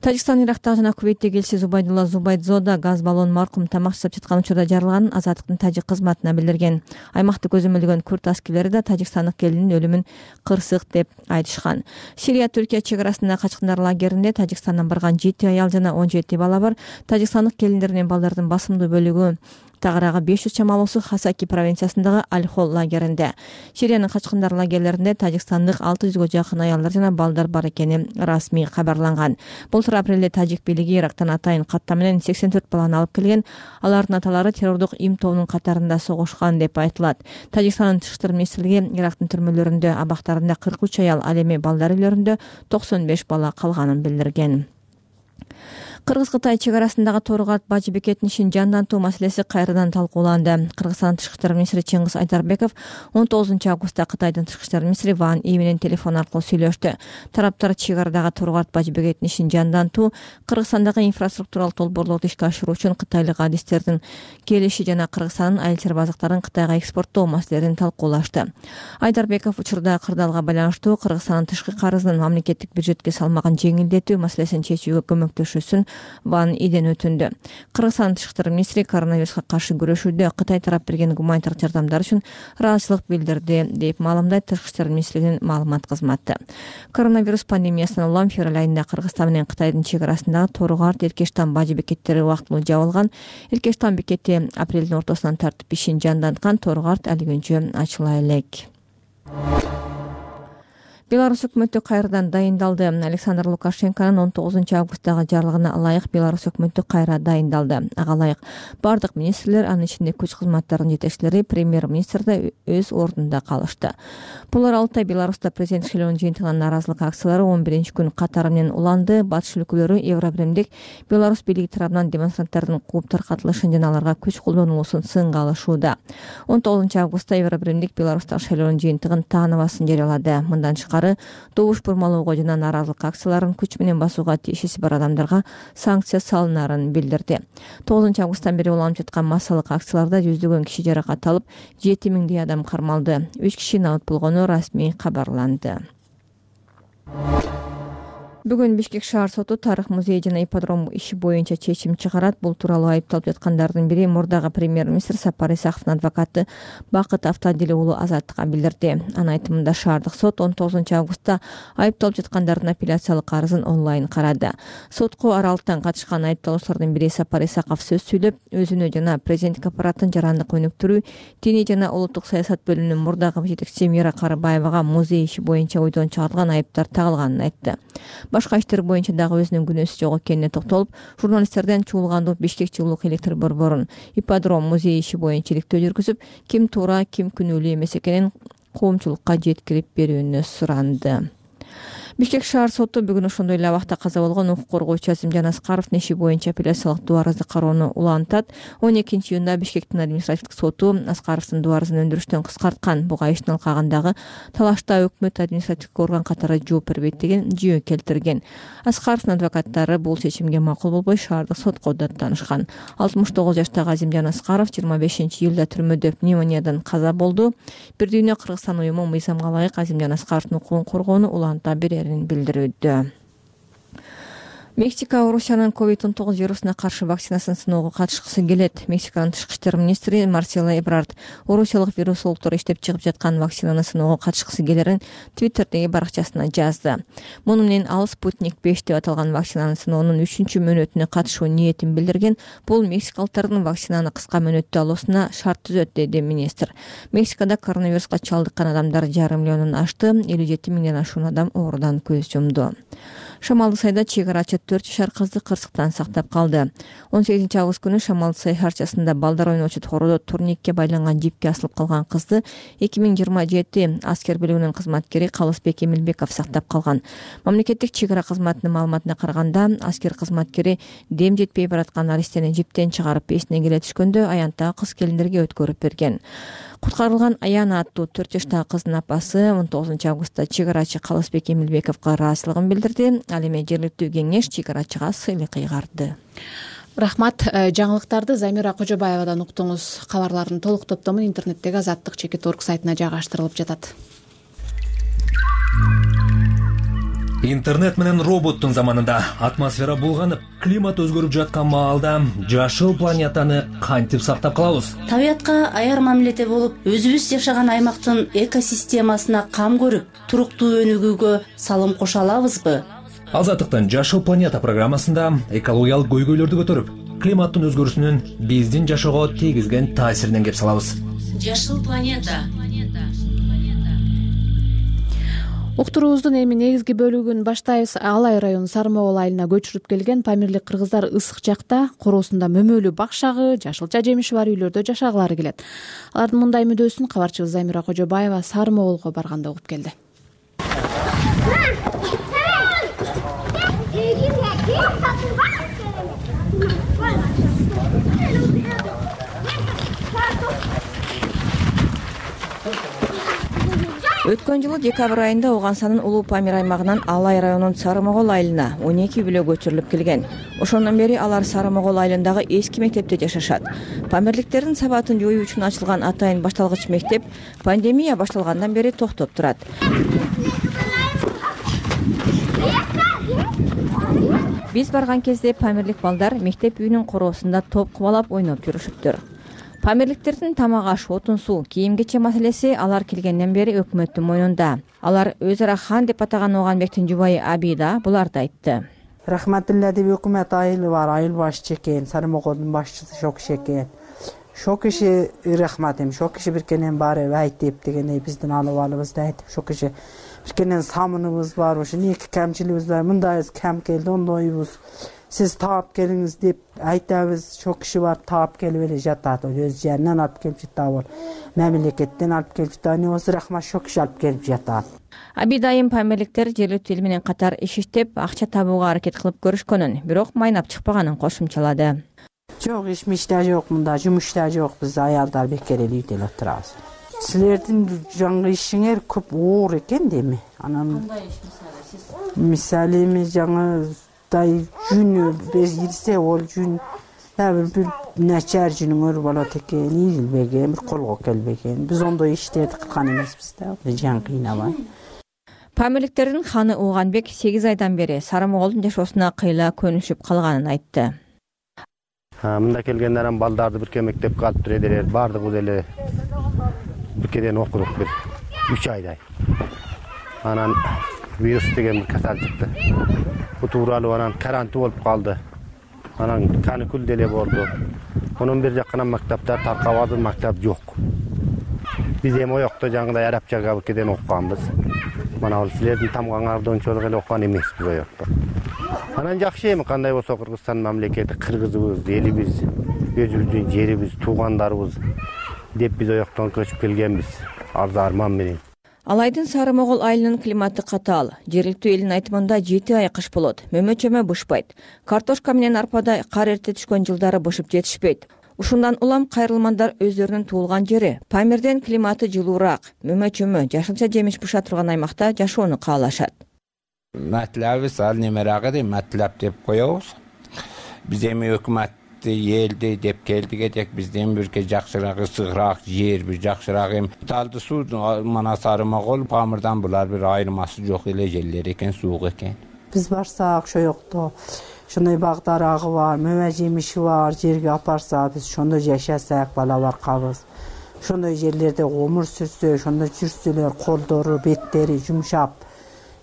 Тажикстан Ирактагы жана Кувейттеги элчиси Зубайдулла Зубайдзода газ баллон маркум тамак жасап жаткан учурда жарылганын Азаттыктын тажик кызматына билдирген. Аймакты көзөмөлдөгөн күрд аскерлери да тажикстандык келиндин өлүмүн кырсык деп айтышкан. Сирия Түркия чек арасындагы качкындар лагеринде Тажикстандан барган 7 аял жана 17 бала бар. Тажикстандык келиндер менен балдардын басымдуу бөлүгү тагыраагы 500 чамалуусу Хасаки провинциясындагы Аль-Хол лагеринде. Сириянын качкындар лагерлеринде тажикстандык 600 жакын аялдар жана балдар бар экени расмий кабарланган. Былтыр апрелде тажик бийлиги Ирактан атайын каттам менен 84 баланы алып келген. Алардын аталары террордук им тобунун катарында согушкан деп айтылат. Тажикстандын тышкы иштер министрлиги Ирактын түрмөлөрүндө абактарында 43 аял, ал эми балдар үйлөрүндө 95 бала калганын билдирген. Кыргыз-Кытай чек арасындагы Тору-Карт Бажы бекетин ишин жандантуу маселеси кайрадан талкууланды. Кыргызстандын тышкы иштер министри Чыңгыз Айдарбеков 19-августта Кытайдын тышкы иштер министри Ван И менен телефон аркылуу сүйлөштү. Тараптар чек арадагы Тору-Карт Бажы бекетин ишин жандантуу, Кыргызстандагы инфраструктуралык долбоорлорду ишке ашыруу үчүн кытайлык адистердин келиши жана Кыргызстандын айыл базыктарын Кытайга экспорттоо маселелерин талкуулашты. Айдарбеков учурда кырдаалга байланыштуу Кыргызстандын тышкы карызын мамлекеттик бюджетке салмаган жеңилдетүү маселесин чечүүгө көмөктөшүүсүн Ван Иден өтүндү. Кыргызстандын тышкы иштер министри коронавируска каршы күрөшүүдө Кытай тарап берген гуманитардык жардамдар үчүн ыраазычылык билдирди деп маалымдайт тышкы иштер министрлигинин маалымат кызматы. Коронавирус пандемиясынан улам февраль айында Кыргызстан менен Кытайдын чек арасындагы Тору-Карт, Эркештан Бажы бекеттери убактылуу жабылган. Эркештан бекети апрелдин ортосунан тартып ишин жанданткан. Тору-Карт али күнчө ачыла элек. Беларусь өкмөтү кайрадан дайындалды. Александр Лукашенконун 19-августтагы жарлыгына ылайык Беларусь өкмөтү кайра дайындалды. Ага ылайык бардык министрлер, анын ичинде күч кызматтарынын жетекчилери, премьер-министр да өз ордунда калышты. Булар Алтай Беларуста президент шайлоонун жыйынтыгынан нааразылык акциялары 11-күн катары менен уланды. Батыш өлкөлөрү Евробиримдик Беларусь бийлиги тарабынан демонстранттардын кууп таркатылышын жана аларга күч колдонулуусун сынга алышууда. 19-августта Евробиримдик Беларустагы шайлоонун жыйынтыгын тааныбасын жарыялады. Мындан добуш бурмалоого жана нааразылык акцияларын күч менен басууга тиешеси бар адамдарга санкция салынарын билдирди. 9-августтан бери уланып жаткан массалык акцияларда жүздөгөн киши жаракат алып, 7000 адам кармалды. 3 киши набыт болгону расмий кабарланды. Бүгүн Бишкек шаар соту тарых музей жана ипподром иши боюнча чечим чыгарат. Бул тууралуу айыпталып жаткандардын бири мурдагы премьер-министр Сапар Исаковдун адвокаты Бакыт Автадили уулу Азаттыкка билдирди. Анын айтымында шаардык сот 19 августта айыпталып жаткандардын апелляциялык арызын онлайн карады. Сотко аралыктан катышкан айыпталуучулардын бири Сапар Исаков сөз сүйлөп, өзүнө жана президенттик аппараттын жарандык өнүктүрүү, диний жана улуттук саясат бөлүмүнүн мурдагы жетекчиси Мира Карыбаевага музей иши боюнча ойдон чыгарылган айыптар тагылганын айтты. Башка иштер боюнча дагы өзүнүн күнөөсү жок экенине токтолуп, журналисттерден чуулгандуу Бишкек жылуулук электр борборун ипподром музей иши боюнча иликтөө жүргүзүп, ким туура, ким күнөөлүү эмес экенин коомчулукка жеткирип берүүнү суранды. Бишкек шаар соту бүгүн ошондой эле абакта каза болгон укук коргоочу Азимжан Аскаровдун иши боюнча апелляциялык доо арызды кароону улантат. 12 июнда Бишкектин административдик соту Аскаровдун доо арызын өндүрүштөн кыскарткан. Буга иштин алкагындагы талашта өкмөт административдик орган катары жооп бербейт деген жүйө келтирген. Аскаровдун адвокаттары бул чечимге макул болбой шаардык сотко даттанышкан. 69 жаштагы Азимжан Аскаров 25 июлда түрмөдө пневмониядан каза болду. Бир дүйнө Кыргызстан уюму мыйзамга ылайык Азимжан Аскаровдун укугун коргоону уланта берерин билдирүүдө. Мексика Орусиянын COVID-19 вирусуна каршы вакцинасын сыноого катышкысы келет. Мексиканын тышкы иштер министри Марсело Эбрард орусиялык вирусологдор иштеп чыгып жаткан вакцинаны сыноого катышкысы келерин Твиттердеги баракчасына жазды. Муну менен ал Спутник 5 деп аталган вакцинанын сыноонун 3-чү мөөнөтүнө катышуу ниетин билдирген. Бул мексикалыктардын вакцинаны кыска мөөнөттө алуусуна шарт түзөт, деди министр. Мексикада коронавируска чалдыккан адамдар 1,5 миллиондон ашты, 57 миңден ашуун адам оорудан көз жумду. Шамалды сайда чек-арачы 4 жашар кызды кырсыктан сактап калды. 18 август күнү Шамалды сай шаарчасында балдар ойночу тородо турникке байланган жипке асылып калган кызды 2027 аскер бөлүгүнүн кызматкери Калысбек Эмилбеков сактап калган. Мамлекеттик чек-ара кызматынын маалыматына караганда, аскер кызматкери дем жетпей бараткан аристени жиптен чыгарып эсине келе түшкөндө аянттагы кыз келиндерге өткөрүп берген. Куткарылган Аяна аттуу 4 жаштагы кыздын апасы 19 августта чек-арачы Калысбек Эмилбековго ыраазычылыгын билдирди. Ал эми жергиликтүү кеңеш чек-арачыга сыйлык кыйгарды. Рахмат. Жаңылыктарды Замира Кожобаевадан уктуңуз. Кабарлардын толук топтому интернеттеги azattik.org сайтына жайгаштырылып жатат. Интернет менен роботтун заманында атмосфера булганып, климат өзгөрүп жаткан маалда жашыл планетаны кантип сактап калабыз? Табиятка аяр мамиледе болуп, өзүбүз жашаган аймактын экосистемасына кам көрүп, туруктуу өнүгүүгө салым кошо алабызбы? Азаттыктын Жашыл планета программасында экологиялык көйгөйлөрдү көтөрүп, климаттын өзгөрүүсүнүн биздин жашоого тийгизген таасиринен кеп салабыз. Жашыл планета. Уктуруубуздун эми негизги бөлүгүн баштайбыз. Алай районунун Сармоол айылына көчүрүп келген памирлик кыргыздар ысык жакта короосунда мөмөлүү бакшагы, жашылча жемиши бар үйлөрдө жашагылары келет. Алардын мындай мүдөөсүн кабарчыбыз Замира Кожобаева Сармоолго барганда угуп келди. Өткөн жылы декабрь айында Оогансанын Улуу Памир аймагынан Алай районунун Сармоол айылына 12 бүлө көчүрүлүп келген. Ошондон бери алар Сармоол айылындагы эски мектепте жашашат. Памирликтердин сабатын жоюу үчүн ачылган атайын башталгыч мектеп пандемия башталгандан бери токтоп турат. Биз барган кезде памирлик балдар мектеп үйүнүн короосунда топ кубалап ойноп жүрүшүптүр. Памирликтердин тамак аш, отун суу, кийим-кече маселеси алар келгенден бери өкмөттүн мойнунда. Алар өз ара хан деп атаган Оганбектин жубайы Абида буларды айтты. Рахматулла деп өкмөт айылы бар, айыл башчы экен, Сармоолдун башчысы шо киши экен. Шо киши рахмат эми, шо киши биркенен баары айтып дегендей биздин алыбалыбызды айтып, шо киши биркенен самыныбыз бар, ошо эки камчылыгыбыз бар, мындай кам келди, ондойбуз. Сиз таап келиңиз деп айтабыз, шо киши барып таап келип эле жатат. Өз жеринен алып келип жатат, мамлекеттен алып келип жатат. Болсо рахмат, шо киши алып келип жатат. Абидайым памирликтер жергиликтүү эл менен катар иш иштеп, акча табууга аракет кылып көрүшкөнүн, бирок майнап чыкпаганын кошумчалады. Жок, иш-миште жок, мында жумушта жок, биз аялдар бекер эле үйдө эле турабыз. Силердин жаңы ишиңер көп оор экен деми. Анан кандай иш мисалы эми жаңы жүнү ирсе ол жүн бир начар жүнүңөр болот экен, ийилбеген, бир колго келбеген. Биз ондой иштерди кылган эмеспиз да, жан кыйнабай. Памирликтердин ханы Ууганбек 8 айдан бери Сарымоголдун жашоосуна кыйла көнүшүп калганын айтты. Мында келгенден анан балдарды бирке мектепке алып бердилер. Бардыгыбыз эле биркеден окудук бир 3 айдай. Анан вирус деген бир касал чыкты. Бу тууралуу анан карантин болуп калды. Анан каникул деле болду. Онун бир жаккан мактаптар таркабады, мактап жок. Биз эми оёкто жаңгыдай арабчага биркеден окуганбыз. Мана ал силердин тамгаңарды ончолук эле окуган эмеспиз оёкто. Анан жакшы эми кандай болсо Кыргызстан мамлекети, кыргызыбыз, элибиз, өзүбүздүн жерибиз, туугандарыбыз деп биз оёктон көчүп келгенбиз. Арзу арман менен. Алайдын Сарымогол айылынын климаты катаал. Жергиликтүү элдин айтымында 7 ай кыш болот. Мөмө-чөмө бышпайт. Картошка менен арпада кар эрте түшкөн жылдары бышып жетишпейт. Ушундан улам кайрылмандар өздөрүнүн туулган жери Памирден климаты жылуураак, мөмө-чөмө, жашылча жемиш быша турган аймакта жашоону каалашат. Матлабыз ал немерагы деп матлап деп коебуз. Биз эми өкмөттү элди деп келдик эдек, бизден бирке жакшыраак, ысыгыраак жер, бир жакшыраак эми талды суу мана Сарымогол, Памирдан булар бир айырмасы жок эле жерлер экен, суук экен. Биз барсак ошо жокто ошондой бак дарагы бар, мөмө жемиши бар, жерге апарса биз ошондо жашасак, бала баркабыз. Ошондой жерлерде өмүр сүрсө, ошондо жүрсөлөр, колдору, беттери жумшап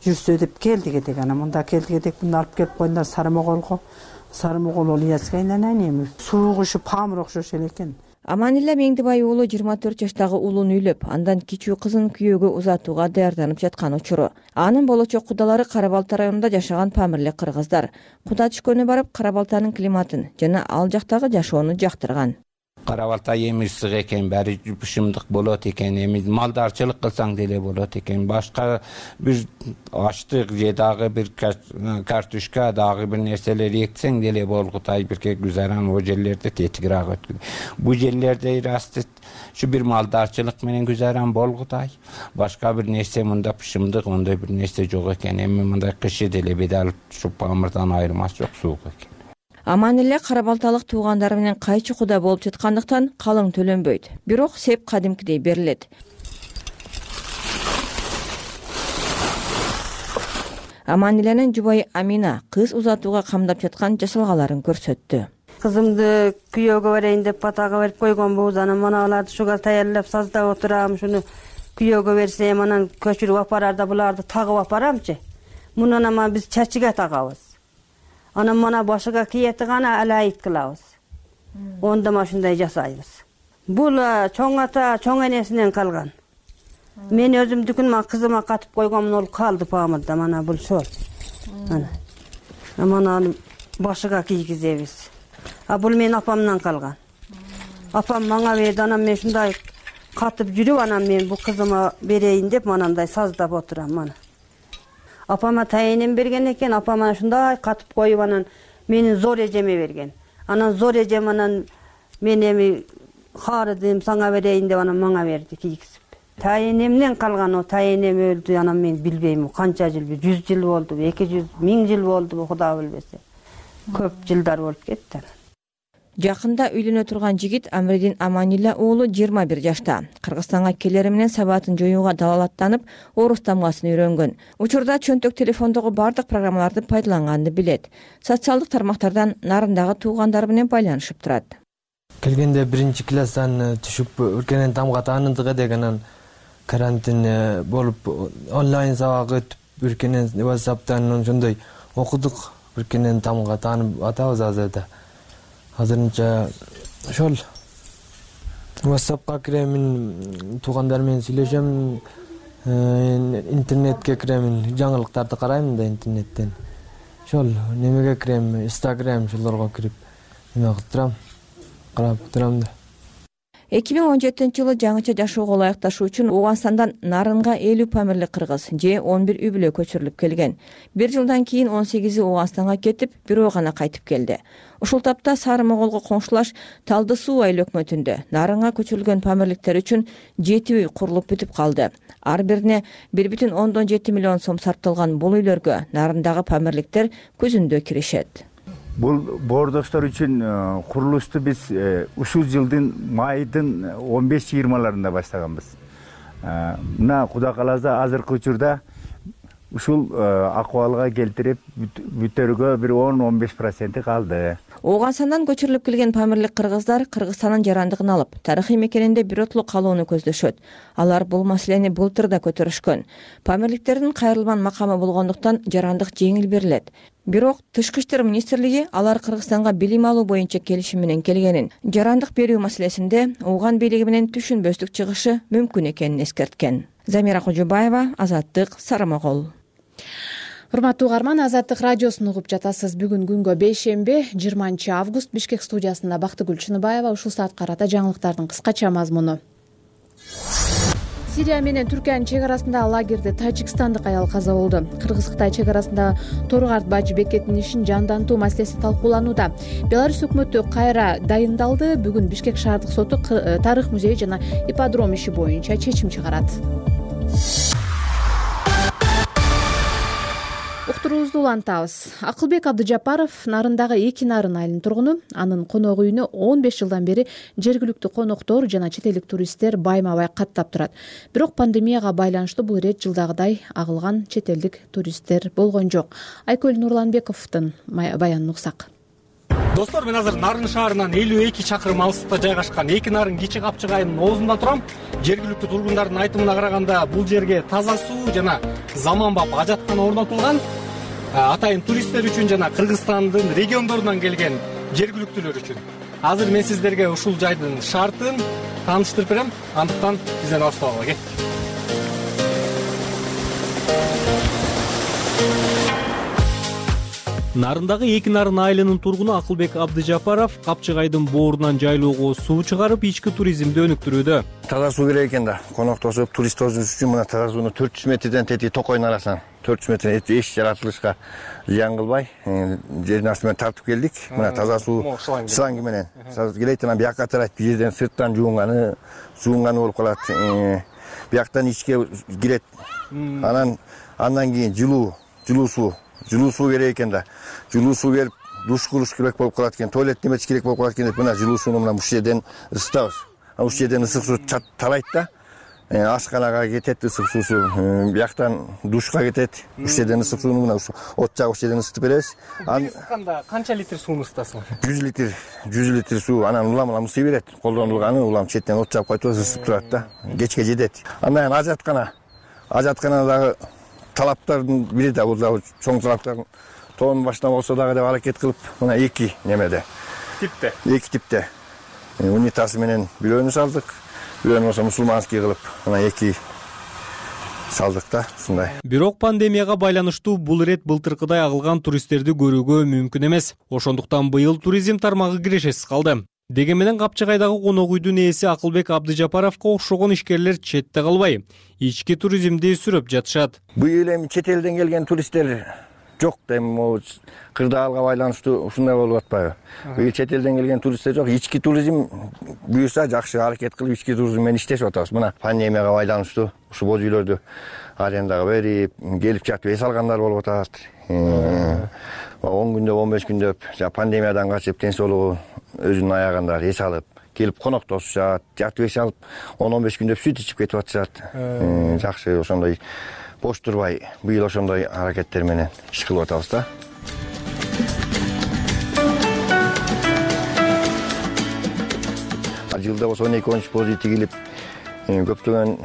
жүрсө деп келдик эдек. Анан мында келдик эдек, мында алып келип койдуңдар Сарымоголго. Сарымогол ол Ильяска айнанан эми суук ушу Памир окшош эле экен. Аманилла Меңдибай уулу 24 жаштагы уулун үйлөп, андан кичүү кызын күйөөгө узатууга даярданып жаткан учуру. Анын болочок кудалары Кара-Балта районунда жашаган памирлик кыргыздар. Куда түшкөнү барып Кара-Балтанын климатын жана ал жактагы жашоону жактырган. Кара-Балта эми ысык экен, баары бышымдык болот экен, эми малдарчылык кылсаң деле болот экен. Башка бир аштык же дагы бир картошка, дагы бир нерселер эксең деле болгутай бирке гүзаран о жерлерде тетигирээк өткөн. Бу жерлерде расты ушу бир малдарчылык менен гүзаран болгутай. Башка бир нерсе мында бышымдык, ондой бир нерсе жок экен. Эми мындай кышы деле бедал ушу Памирдан айырмасы жок, суук экен. Аманилла Кара-Балталык туугандары менен кайчы куда болуп жаткандыктан калың төлөнбөйт. Бирок сеп кадимкидей берилет. Аманиланын жубайы Амина кыз узатууга камдап жаткан жасалгаларын көрсөттү. Кызымды күйөөгө берейин деп батага берип койгонбуз. Анан мана аларды ушуга даярдап саздап отурам. Ушуну күйөөгө берсем, анан көчүрүп апарарда буларды тагып апарамчы. Мунун анан биз чачыга тагабыз. Анан мана башыга кийети гана алайыт кылабыз. Ондома ушундай жасайбыз. Бул чоң ата, чоң энесинен калган. Мен өзүмдүкүн мана кызыма катып койгонмун, ол калды Памирда, мана бул шол. Мана башыга кийгизебиз. Бул менин апамдан калган. Апам мага берди, анан мен ушундай катып жүрүп, анан мен бул кызыма берейин деп манандай саздап отурам мана. Апама тайынын берген экен, апам ана ушундай катып коюп, анан менин зор эжеме берген. Анан зор эжем анан мен эми харыдым, сага берейин деп анан мага берди кийгизип. Тайынемден калган, о тайынем өлдү, анан мен билбейм, канча жыл, 100 жыл болду, 200, 1000 жыл болду, Куда билбесе. Көп жылдар болуп кетти. Жакында үйлөнө турган жигит Амридин Аманилла уулу 21 жашта. Кыргызстанга келери менен сабатын жоюуга далалаттанып, орус тамгасын үйрөнгөн. Учурда чөнтөк телефондогу бардык программаларды пайдаланганды билет. Социалдык тармактардан нарындагы туугандары менен байланышып турат. Келгенде 1-класстан түшүп өркенен тамга тааныдык эдек, анан карантин болуп онлайн сабак өтүп өркенен WhatsApp'тан ошондой окудук, өркенен тамга таанып атабыз азырда. Азырынча ошол WhatsApp'ка киремин, туугандар менен сүйлөшөм, интернетке киремин, жаңылыктарды карайм да интернеттен. Ошол немеге кирем, Instagram шолорго кирип, эме кылып турам, карап турам да. 2017-жылы жаңыча жашоого ылайыкташуу үчүн Ооганстандан Нарынга 50 памирлик кыргыз же 11 үй бүлө көчүрүлүп келген. Бир жылдан кийин 18 Ооганстанга кетип, бирөө гана кайтып келди. Ушул тапта Сарымоголго коңшулаш Талды суу айыл өкмөтүндө Нарынга көчүрүлгөн памирликтер үчүн 7 үй курулуп бүтүп калды. Ар бирине 1,7 миллион сом сарпталган бул үйлөргө Нарындагы памирликтер күзүндө киришет. Бул боордоштор үчүн курулушту биз ушул жылдын майдын 15-20-ларында баштаганбыз. Мына Куда кааласа азыркы учурда ушул акыбалга келтирип бүтөргө бир 10-15% калды. Ооганстандан көчүрүлүп келген памирлик кыргыздар Кыргызстандын жарандыгын алып, тарыхый мекенинде биротоло калууну көздөшөт. Алар бул маселени былтыр да көтөрүшкөн. Памирликтердин кайрылман макамы болгондуктан жарандык жеңил берилет. Бирок Тышкы иштер министрлиги алар Кыргызстанга билим алуу боюнча келишим менен келгенин, жарандык берүү маселесинде ооган бийлиги менен түшүнбөстүк чыгышы мүмкүн экенин эскерткен. Замира Кожобаева, Азаттык, Сарамогол. Урматтуу угарман, Азаттык радиосун угуп жатасыз. Бүгүн күнгө бейшемби, 20 август, Бишкек студиясында Бактыгүл Чыныбаева. Ушул саат карата жаңылыктардын кыскача мазмуну. Сирия менен Түркиянын чек арасындагы лагерде тажикстандык аял каза болду. Кыргыз-Кытай чек арасындагы Торгарт Бажы бекетинин ишин жандантуу маселеси талкууланууда. Беларусь өкмөтү кайра дайындалды. Бүгүн Бишкек шаардык соту тарых музей жана ипподром иши боюнча чечим чыгарат. Уктуруубузду улантабыз. Акылбек Абдыжапаров Нарындагы Эки Нарын айылынын тургуну. Анын конок үйүнө 15 жылдан бери жергиликтүү коноктор жана чет элдик туристтер байма-бай каттап турат. Бирок пандемияга байланыштуу бул ирет жылдагыдай агылган чет элдик туристтер болгон жок. Айкөл Нурланбековдун баянын уксак. Достор, мен азыр Нарын шаарынан 52 чакырым алыстыкта жайгашкан Эки Нарын кичи капчык айылынын оозунда турам. Жергиликтүү тургундардын айтымына караганда бул жерге таза суу жана заманбап ажаткана орнотулган. Атайын туристтер үчүн жана Кыргызстандын региондорунан келген жергиликтүүлөр үчүн. Азыр мен сиздерге ушул жайдын шартын тааныштырып берем. Андыктан бизден алыстабагыла кеттик. Нарындагы Эки Нарын айылынын тургуну Акылбек Абдыжапаров капчык айдын боорунан жайлоого суу чыгарып, ички туризмди өнүктүрүүдө. Таза суу керек экен да. Коноктошуп, турист үчүн мына таза сууну 400 метрден тети токойдун арасынан 400 метр эч жаратылышка зыян кылбай, жердин асты менен тартып келдик. Мына таза суу шланги менен келет, анан бияка тарайт. Бул жерден сырттан жуунганы болуп калат. Бияктан ичке кирет. Андан кийин жылуу суу керек экен да. Жылуу суу берип, душ кылыш керек болуп калат экен, туалет неметиш керек болуп калат экен деп мына жылуу сууну мына ушул жерден ысытабыз. Ушул жерден ысык суу тарайт да. Ашканага кетет ысык суусу, бияктан душка кетет. Ушул жерден ысык сууну мына от жагып ушул жерден ысытып беребиз. Ысытканда канча литр сууну ысытасыңар? 100 литр суу, анан улам ысый берет. Колдонулганы улам четтен от жагып кайтып ысытып турат да. Кечке жетет. Андан ажатканадагы талаптардын бири да бул дагы чоң талаптардын тоонун башына болсо дагы деп аракет кылып, мына эки типте унитазы менен бирөөнү салдык, бирөөнү болсо мусулманский кылып, мына эки салдык да, ушундай. Бирок пандемияга байланыштуу бул ирет былтыркыдай агылган туристтерди көрүүгө мүмкүн эмес. Ошондуктан быйыл туризм тармагы кирешесиз калды. Деген менен капчыгайдагы конок үйдүн ээси Акылбек Абдыжапаровго окшогон ишкерлер четте калбай, ички туризмди сүрөп жатышат. Быйыл эми чет элден келген туристтер жок да, эми кырдаалга байланыштуу ушундай болуп атпайбы? Быйыл чет элден келген туристтер жок, ички туризм буюрса жакшы аракет кылып ички туризм менен иштешип атабыз. Мына пандемияга байланыштуу ушул боз үйлөрдү арендаға берип, келип жатып эс алгандар болуп атат. 10 күндөп, 15 күндөп пандемиядан качып, денсаулыгу өзүнүн аягында эс алып, келип коноктошушат, жатып эс алып, 10-15 күндөп сүт ичип кетип атышат. Жакшы, ошондой бош турбай, быйыл ошондой аракеттер менен иш кылып атабыз да. Жылда болсо 12-13 боз тигилип, көптөгөн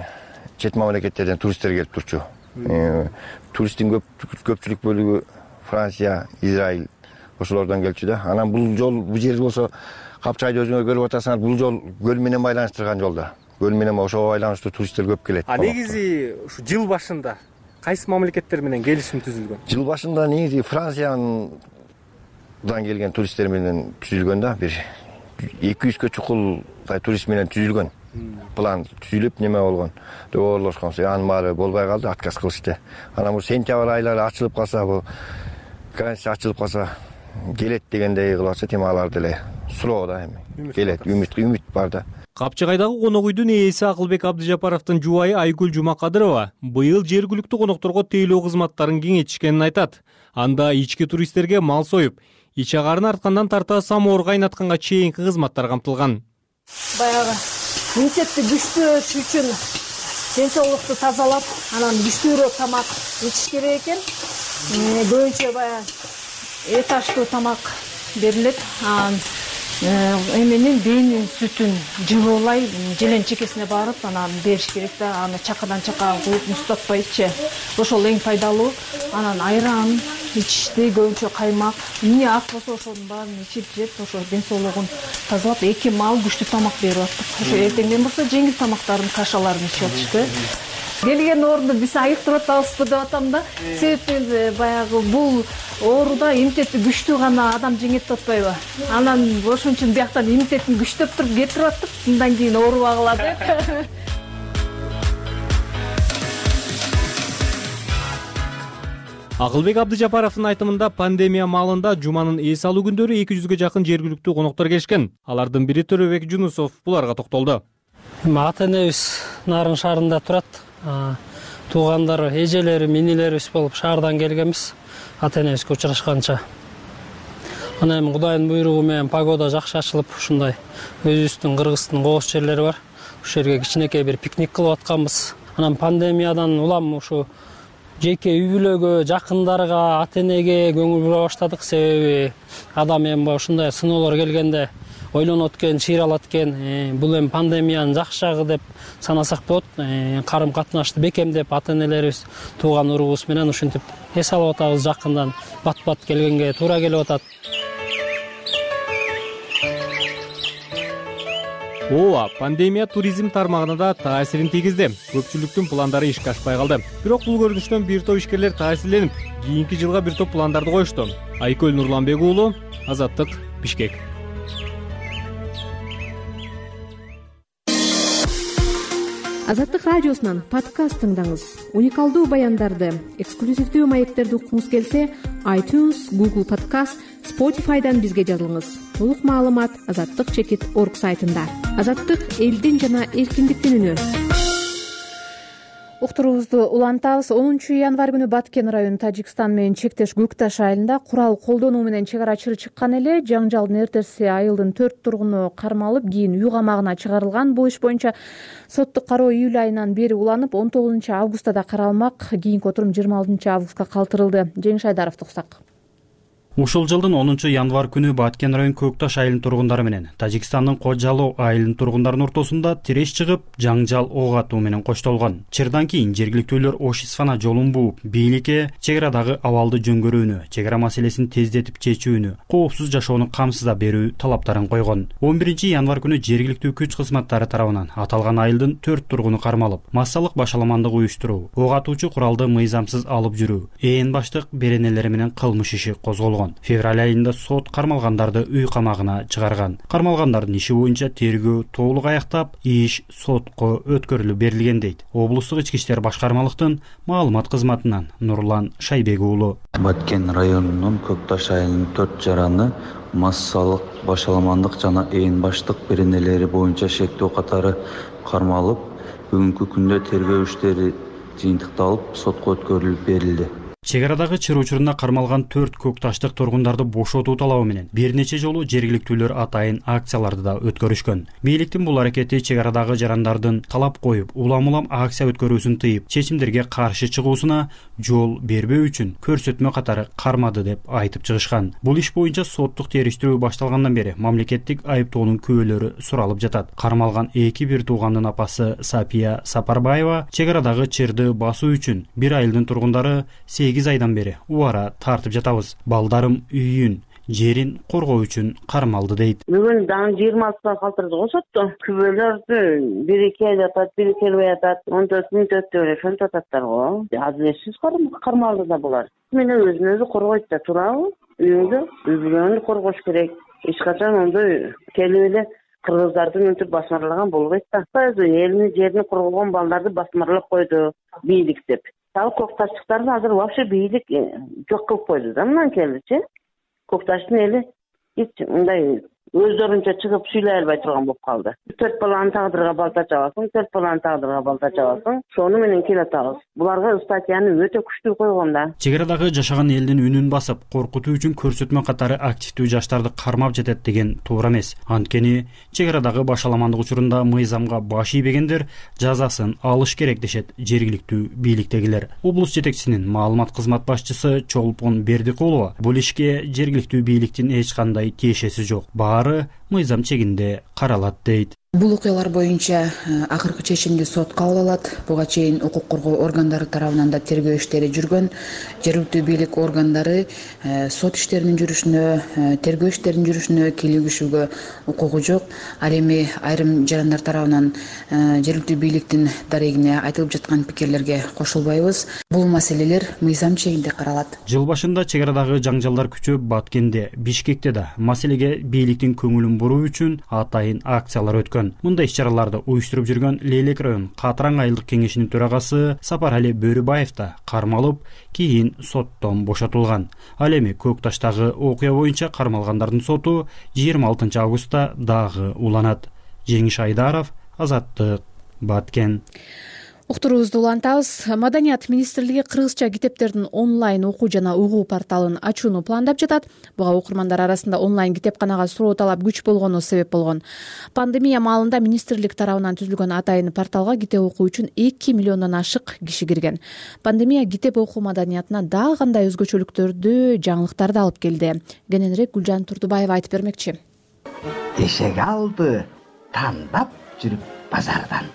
чет мамлекеттерден туристтер келип турчу. Туристтин көпчүлүк бөлүгү Франция, Израиль ошолордон келчү да. Анан бул жол, бул жер болсо Капчыгайды өзүңөр көрүп атасыңар, бул жол көл менен байланыштырган жол да. Көл менен ошого байланыштуу туристтер көп келет. Негизи ушу жыл башында кайсы мамлекеттер менен келишим түзүлгөн? Жыл башында негизи Франциядан келген туристтер менен түзүлгөн да. Бир 200 чукул турист менен түзүлгөн. План түзүлүп неме болгон. Доголошкон. Анын баары болбой калды, отказ кылышты. Анан бул сентябрь айлары ачылып калса, бул граница ачылып калса, келет дегендей кылып атса, тем алар деле суроо да эми. Келет, үмүт бар да. Капчыгайдагы конок үйдүн ээси Акылбек Абдыжапаровдун жубайы Айгүл Жумакадырова быйыл жергиликтүү конокторго тейлөө кызматтарын кеңейтишкенин айтат. Анда ички туристтерге мал союп, ич агарын арткандан тарта самоор кайнатканга чейинки кызматтар камтылган. Баягы иммунитетти күчтөөш үчүн ден соолукту тазалап, анан күчтүүрөөк тамак ичиш керек экен. Көбүнчө баягы этаждуу тамак берилет. Эменин бэйнин сүтүн жылуулай желен чекесине барып, анан бериш керек да. Аны чакадан чакага куюп муздатпайчы. Ошол эң пайдалуу. Анан айран ичишти, көбүнчө каймак, эмне ак болсо ошонун баарын ичип жеп, ошо ден соолугун тазалап, 2 маал күчтүү тамак берип аттык. Ошо эртеңден болсо жеңил тамактарын, кашаларын ичип атышты. Келген оорунду биз айыктырып атабызбы деп атам да. Себеби баягы бул ооруда иммунитети күчтүү гана адам жеңет деп атпайбы? Анан ошон үчүн бияктан иммунитетин күчтөп туруп кетирип аттык. Мындан кийин оорубагыла деп. Акылбек Абдыжапаровдун айтымында пандемия маалында жуманын эс алуу күндөрү 200ге жакын жергиликтүү коноктор келишкен. Алардын бири Төрөбек Жунусов буларга токтолду. Ата энебиз Нарын шаарында турат. Туугандары, эжелери, минилерибиз болуп шаардан келгенбиз. Ата энебизге учурашканча. Анан эми Кудайдын буйругу менен погода жакшы ачылып, ушундай өзүбүздүн Кыргыздын кооз жерлери бар. Ушул жерге кичинекей бир пикник кылып атканбыз. Анан пандемиядан улам ушу жеке үй бүлөгө, жакындарга, ата энеге көңүл бура баштадык. Себеби адам эми ушундай сыноолор келгенде ойлонот экен, чыйралат экен. Бул эми пандемиянын жакшы жагы деп санасак болот. Карым катнашты бекемдеп, ата энелерибиз, тууган урубуз менен ушинтип эс алып атабыз. Жакындан бат-бат келгенге туура келип атат. Ооба, пандемия туризм тармагына да таасирин тийгизди. Көпчүлүктүн пландары ишке ашпай калды. Бирок бул көрүнүштөн бир топ ишкерлер таасирленип, кийинки жылга бир топ пландарды коюшту. Айкөл Нурланбек уулу, Азаттык, Бишкек. Азаттык радиосунан подкаст тыңдаңыз. Уникалдуу баяндарды, эксклюзивдүү маектерди уккуңуз келсе, iTunes, Google Podcast, Spotify'дан бизге жазылыңыз. Толук маалымат azattik.org сайтында. Азаттык — элдин жана эркиндиктин үнү. Уктуруубузду улантабыз. 10 январь күнү Баткен району Тажикстан менен чектеш Көкташ айылында курал колдонуу менен чек арачы чыккан эле. Жаңжалдын эртеси айылдын 4 тургуну кармалып, кийин үй камагына чыгарылган. Бул иш боюнча соттук кароо июль айынан бери уланып, 19 августта да каралмак. Кийинки отурум 26 августка калтырылды. Жеңиш Айдаров туксак. Ушул жылдын 10 январь күнү Баткен району Көкташ айылынын тургундары менен Тажикстандын Кожалоо айылынын тургундарынын ортосунда тиреш чыгып, жаңжал ок атуу менен коштолгон. Чырдан кийин жергиликтүүлөр Ош Исфана жолун бууп, бийликке чек арадагы абалды жөнгөрүүнү, чек ара маселесин тездетип чечүүнү, коопсуз жашоону камсызда берүү талаптарын койгон. 11 январь күнү жергиликтүү күч кызматтары тарабынан аталган айылдын 4 тургуну кармалып, массалык башаламандык уюштуруу, ок атуучу куралды мыйзамсыз алып жүрүү, ээн баштык беренелери менен кылмыш иши козголгон. Февраль айында сот кармалгандарды үй камагына чыгарган. Кармалгандардын иши боюнча тергөө толук аяктап, иш сотко өткөрүлүп берилген дейт облустук ички иштер башкармалыктын маалымат кызматынан Нурлан Шайбек уулу. Баткен районунун Көкташ айылынын 4 жараны массалык башаламандык жана ээн баштык беренелери боюнча шектөө катары кармалып, бүгүнкү күндө тергөө иштери жыйынтыкталып, сотко өткөрүлүп берилди. Чек арадагы чыр учурунда кармалган 4 көкташтык тургундарды бошотуу талабы менен бир нече жолу жергиликтүүлөр атайын акцияларды да өткөрүшкөн. Бийликтин бул аракети чек арадагы жарандардын талап коюп, улам-улам акция өткөрүүсүн тыйып, чечимдерге каршы чыгуусуна жол бербөө үчүн көрсөтмө катары кармады деп айтып чыгышкан. Бул иш боюнча соттук териштирүү башталгандан бери мамлекеттик айыптоонун күбөлөрү суралып жатат. Кармалган 2 туугандын апасы Сапия Сапарбаева чек арадагы чырды басуу үчүн бир айылдын тургундары 8 айдан бери убара тартып жатабыз. Балдарым үйүн, жерин коргоо үчүн кармалды дейт. Бүгүн дагы 26-та калтырды го сотто. Күбөлөрдү бири келип атат, бири келбей атат. 14 мүнөт өттү ошентип ататтар го. Адилетсиз кармалды да булар. Мен өзүн өзү коргойт да турабы? Үйүңдү, үй-бүлөңдү коргош керек. Эч качан ондой келип эле кыргыздарды мынтип басмарлаган болбойт да. Элини, жерин коргогон балдарды басмарлап койду бийлик деп. Ал Көкташтыктарды азыр вообще бийлик жок кылып койду да мындан келичи. Көкташтын эли эч мындай өздөрүнчө чыгып сүйлөй албай турган болуп калды. 4 баланын тагдырга балта чабасың, 4 баланын тагдырга балта чабасың. Шону менен келатабыз. Буларга статьяны өтө күчтүү койгон да. Чек арадагы жашаган элдин үнүн басып, коркутуу үчүн көрсөтмө катары активдүү жаштарды кармап жетет деген туура эмес. Анткени чек арадагы башаламандык учурунда мыйзамга баш ийбегендер жазасын алыш керек дешет жергиликтүү бийликтегилер. Облус жетекчисинин маалымат кызмат башчысы Чолпон Бердикулова бул ишке жергиликтүү бийликтин эч кандай тиешеси жок. Баары мыйзам чегинде каралат дейт. Бул окуялар боюнча акыркы чечимди сот кабыл алат. Буга чейин укук коргоо органдары тарабынан да тергөө иштери жүргөн. Жергиликтүү бийлик органдары сот иштеринин жүрүшүнө, тергөө иштеринин жүрүшүнө кийлигишүүгө укугу жок. Ал эми айрым жарандар тарабынан жергиликтүү бийликтин дарегине айтылып жаткан пикирлерге кошулбайбыз. Бул маселелер мыйзам чегинде каралат. Жыл башында чек арадагы жаңжалдар күчөп, Баткенде, Бишкекте да маселеге бийликтин көңүлүн буруу үчүн атайын акциялар өткөн. Мындай иш-чараларды уюштуруп жүргөн Лейлек район Катыраң айылдык кеңешинин төрагасы Сапарали Бөрүбаев да кармалып, кийин соттон бошотулган. Ал эми Көк Таштагы окуя боюнча кармалгандардын соту 26 августта дагы уланат. Жеңиш Айдаров, Азаттык, Баткен. Уктуруубузду улантабыз. Маданият министрлиги кыргызча китептердин онлайн окуу жана угуу порталын ачууну пландап жатат. Буга окурмандар арасында онлайн китепканага суроо талап күч болгону себеп болгон. Пандемия маалында министрлик тарабынан түзүлгөн атайын порталга китеп окуу үчүн 2 миллиондон ашык киши кирген. Пандемия китеп окуу маданиятына дагы кандай өзгөчөлүктөрдү, жаңылыктарды алып келди? Кененирээк Гүлжан Турдубаева айтып бермекчи. Эшеги алды тандап жүрүп базардан.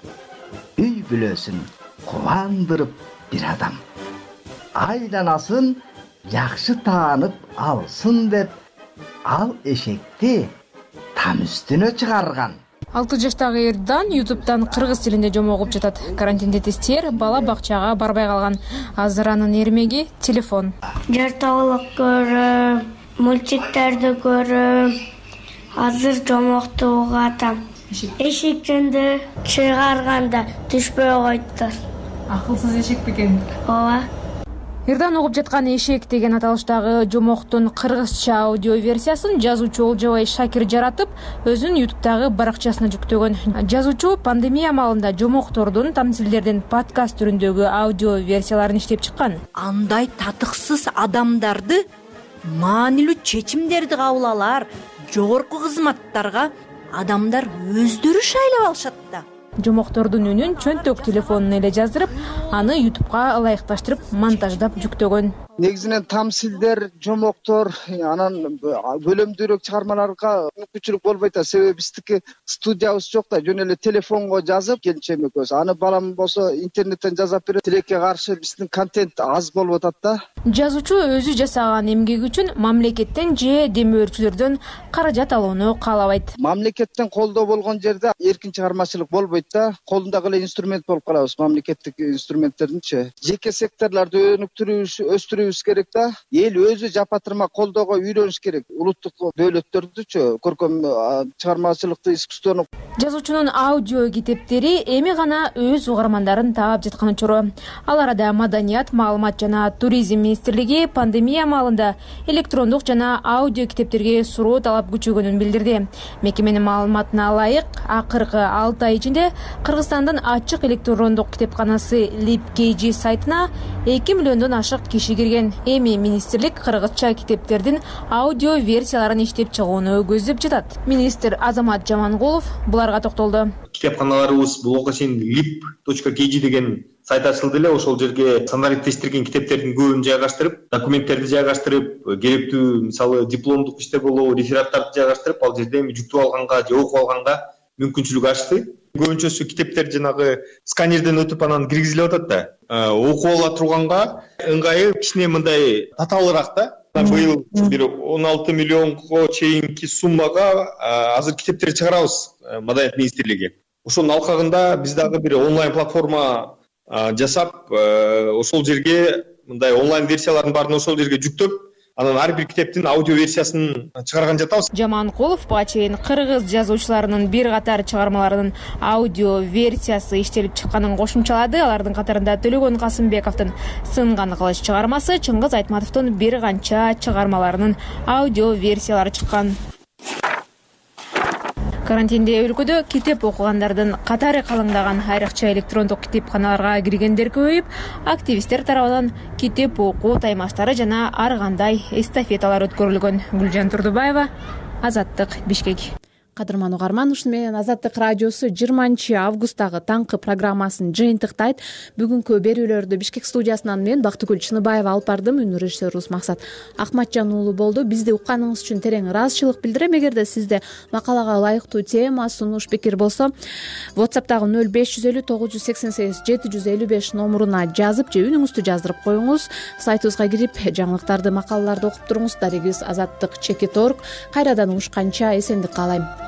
Үй бүлөсүн кубандырып бир адам. Айланасын жакшы таанып алсын деп, ал эшекти там үстүнө чыгарган. 6 жаштагы Эрдан YouTube'дан кыргыз тилинде жомок окуп жатат. Карантиндетистер бала бакчага барбай калган. Азыр анын эрмеги телефон. Жартылык көрөм, мультиктерди көрөм. Азыр жомокту угатам. Эшектенди чыгарганда түшпөй койдур. Акылсыз эшек бекен. Ооба. Эрдан угуп жаткан эшек деген аталыштагы жомоктун кыргызча аудио версиясын жазуучу Олжобай Шакир жаратып, өзүнүн YouTube'дагы баракчасына жүктөгөн. Жазуучу пандемия маалында жомоктордун тамсилдердин подкаст түрүндөгү аудио версияларын иштеп чыккан. Андай татыксыз адамдарды маанилүү чечимдерди кабыл алар, жогорку кызматтарга адамдар өздөрү шайлап алышат да. Жомоктордун үнүн чөнтөк телефонуна эле жаздырып, аны YouTube'га ылайыкташтырып, монтаждап жүктөгөн. Негизинен тамсилдер, жомоктор, анан бөлөмдүүрөөк чыгармаларга мүмкүнчүлүк болбойт да. Себеби биздики студиябыз жок да, жөн эле телефонго жазып, келинчегим экөөбүз. Аны балам болсо интернеттен жазап берет. Тилекке каршы биздин контент аз болуп атат да. Жазуучу өзү жасаган эмгеги үчүн мамлекеттен же демөөрчүлөрдөн каражат алууну каалабайт. Мамлекеттен колдоо болгон жерде эркин чыгармачылык болбойт да. Колундагы эле инструмент болуп калабыз, мамлекеттик инструменттердинчи. Жеке секторлорду өстүрүүбүз керек да. Эл өзү жапатырма колдоого үйрөнүш керек. Улуттук дөөлөттөрдүчү көркөм чыгармачылыкты, искусствону. Жазуучунун аудио китептери эми гана өз угармандарын таап жаткан учуру. Ал арада Маданият, маалымат жана туризм министрлиги пандемия маалында электрондук жана аудио китептерге суроо талап күчөгөнүн билдирди. Мекеменин маалыматына ылайык, акыркы 6 ай ичинде Кыргызстандын ачык электрондук китепканасы LibKG сайтына 2 миллиондон ашык киши кирген. Эми министрлик кыргызча китептердин аудио версияларын иштеп чыгууну көздөп жатат. Министр Азамат Жамангулов буларга токтолду. Китепканаларыбыз буга чейин lib.kg деген сайт ачылды эле. Ошол жерге стандарттештирген китептердин көбүн жайгаштырып, документтерди жайгаштырып, керектүү мисалы дипломдук иштер болобу, рефераттарды жайгаштырып, ал жерде эми жүктөп алганга же окуп алганга мүмкүнчүлүк ачты. Көбүнчөсү китептер жанагы сканерден өтүп анан киргизилип атат да. Окуп ала турганга ыңгайы кичине мындай татаалыраак да. Быйыл бир 16 миллионго чейинки суммага азыр китептер чыгарабыз Маданият министрлиги. Ошонун алкагында биз дагы бир онлайн платформа жасап, ошол жерге мындай онлайн версиялардын баарын ошол жерге жүктөп, анан ар бир китептин аудио версиясын чыгарган жатабыз. Жаманкулов буга чейин кыргыз жазуучуларынын бир катар чыгармаларынын аудио версиясы иштелип чыкканын кошумчалады. Алардын катарында Төлөгөн Касымбековдун Сынган кылыч чыгармасы, Чыңгыз Айтматовдун бир канча чыгармаларынын аудио версиялары чыккан. Карантинде өлкөдө китеп окугандардын катары калыңдаган, айрыкча электрондук китепканаларга киргендер көбөйүп, активисттер тарабынан китеп окуу таймаштары жана ар кандай эстафеталар өткөрүлгөн. Гүлжан Турдубаева, Азаттык, Бишкек. Кадырман угарман, ушуну менен Азаттык радиосу 20 августтагы таңкы программасын жыйынтыктайт. Бүгүнкү берүүлөрдү Бишкек студиясынан мен Бактыгүл Чыныбаева алып бардым. Үнү режиссерубуз Максат Акматжан уулу болду. Бизди укканыңыз үчүн терең ыраазычылык билдирем. Эгерде сизде макалага ылайыктуу тема, сунуш, пикир болсо, WhatsApp'тагы 0550 988 755 номуруна жазып же үнүңүздү жаздырып коюңуз. Сайтыбызга кирип, жаңылыктарды, макалаларды окуп туруңуз. Дарегибиз Азаттык @org. Кайрадан угушканча эсендик каалайм.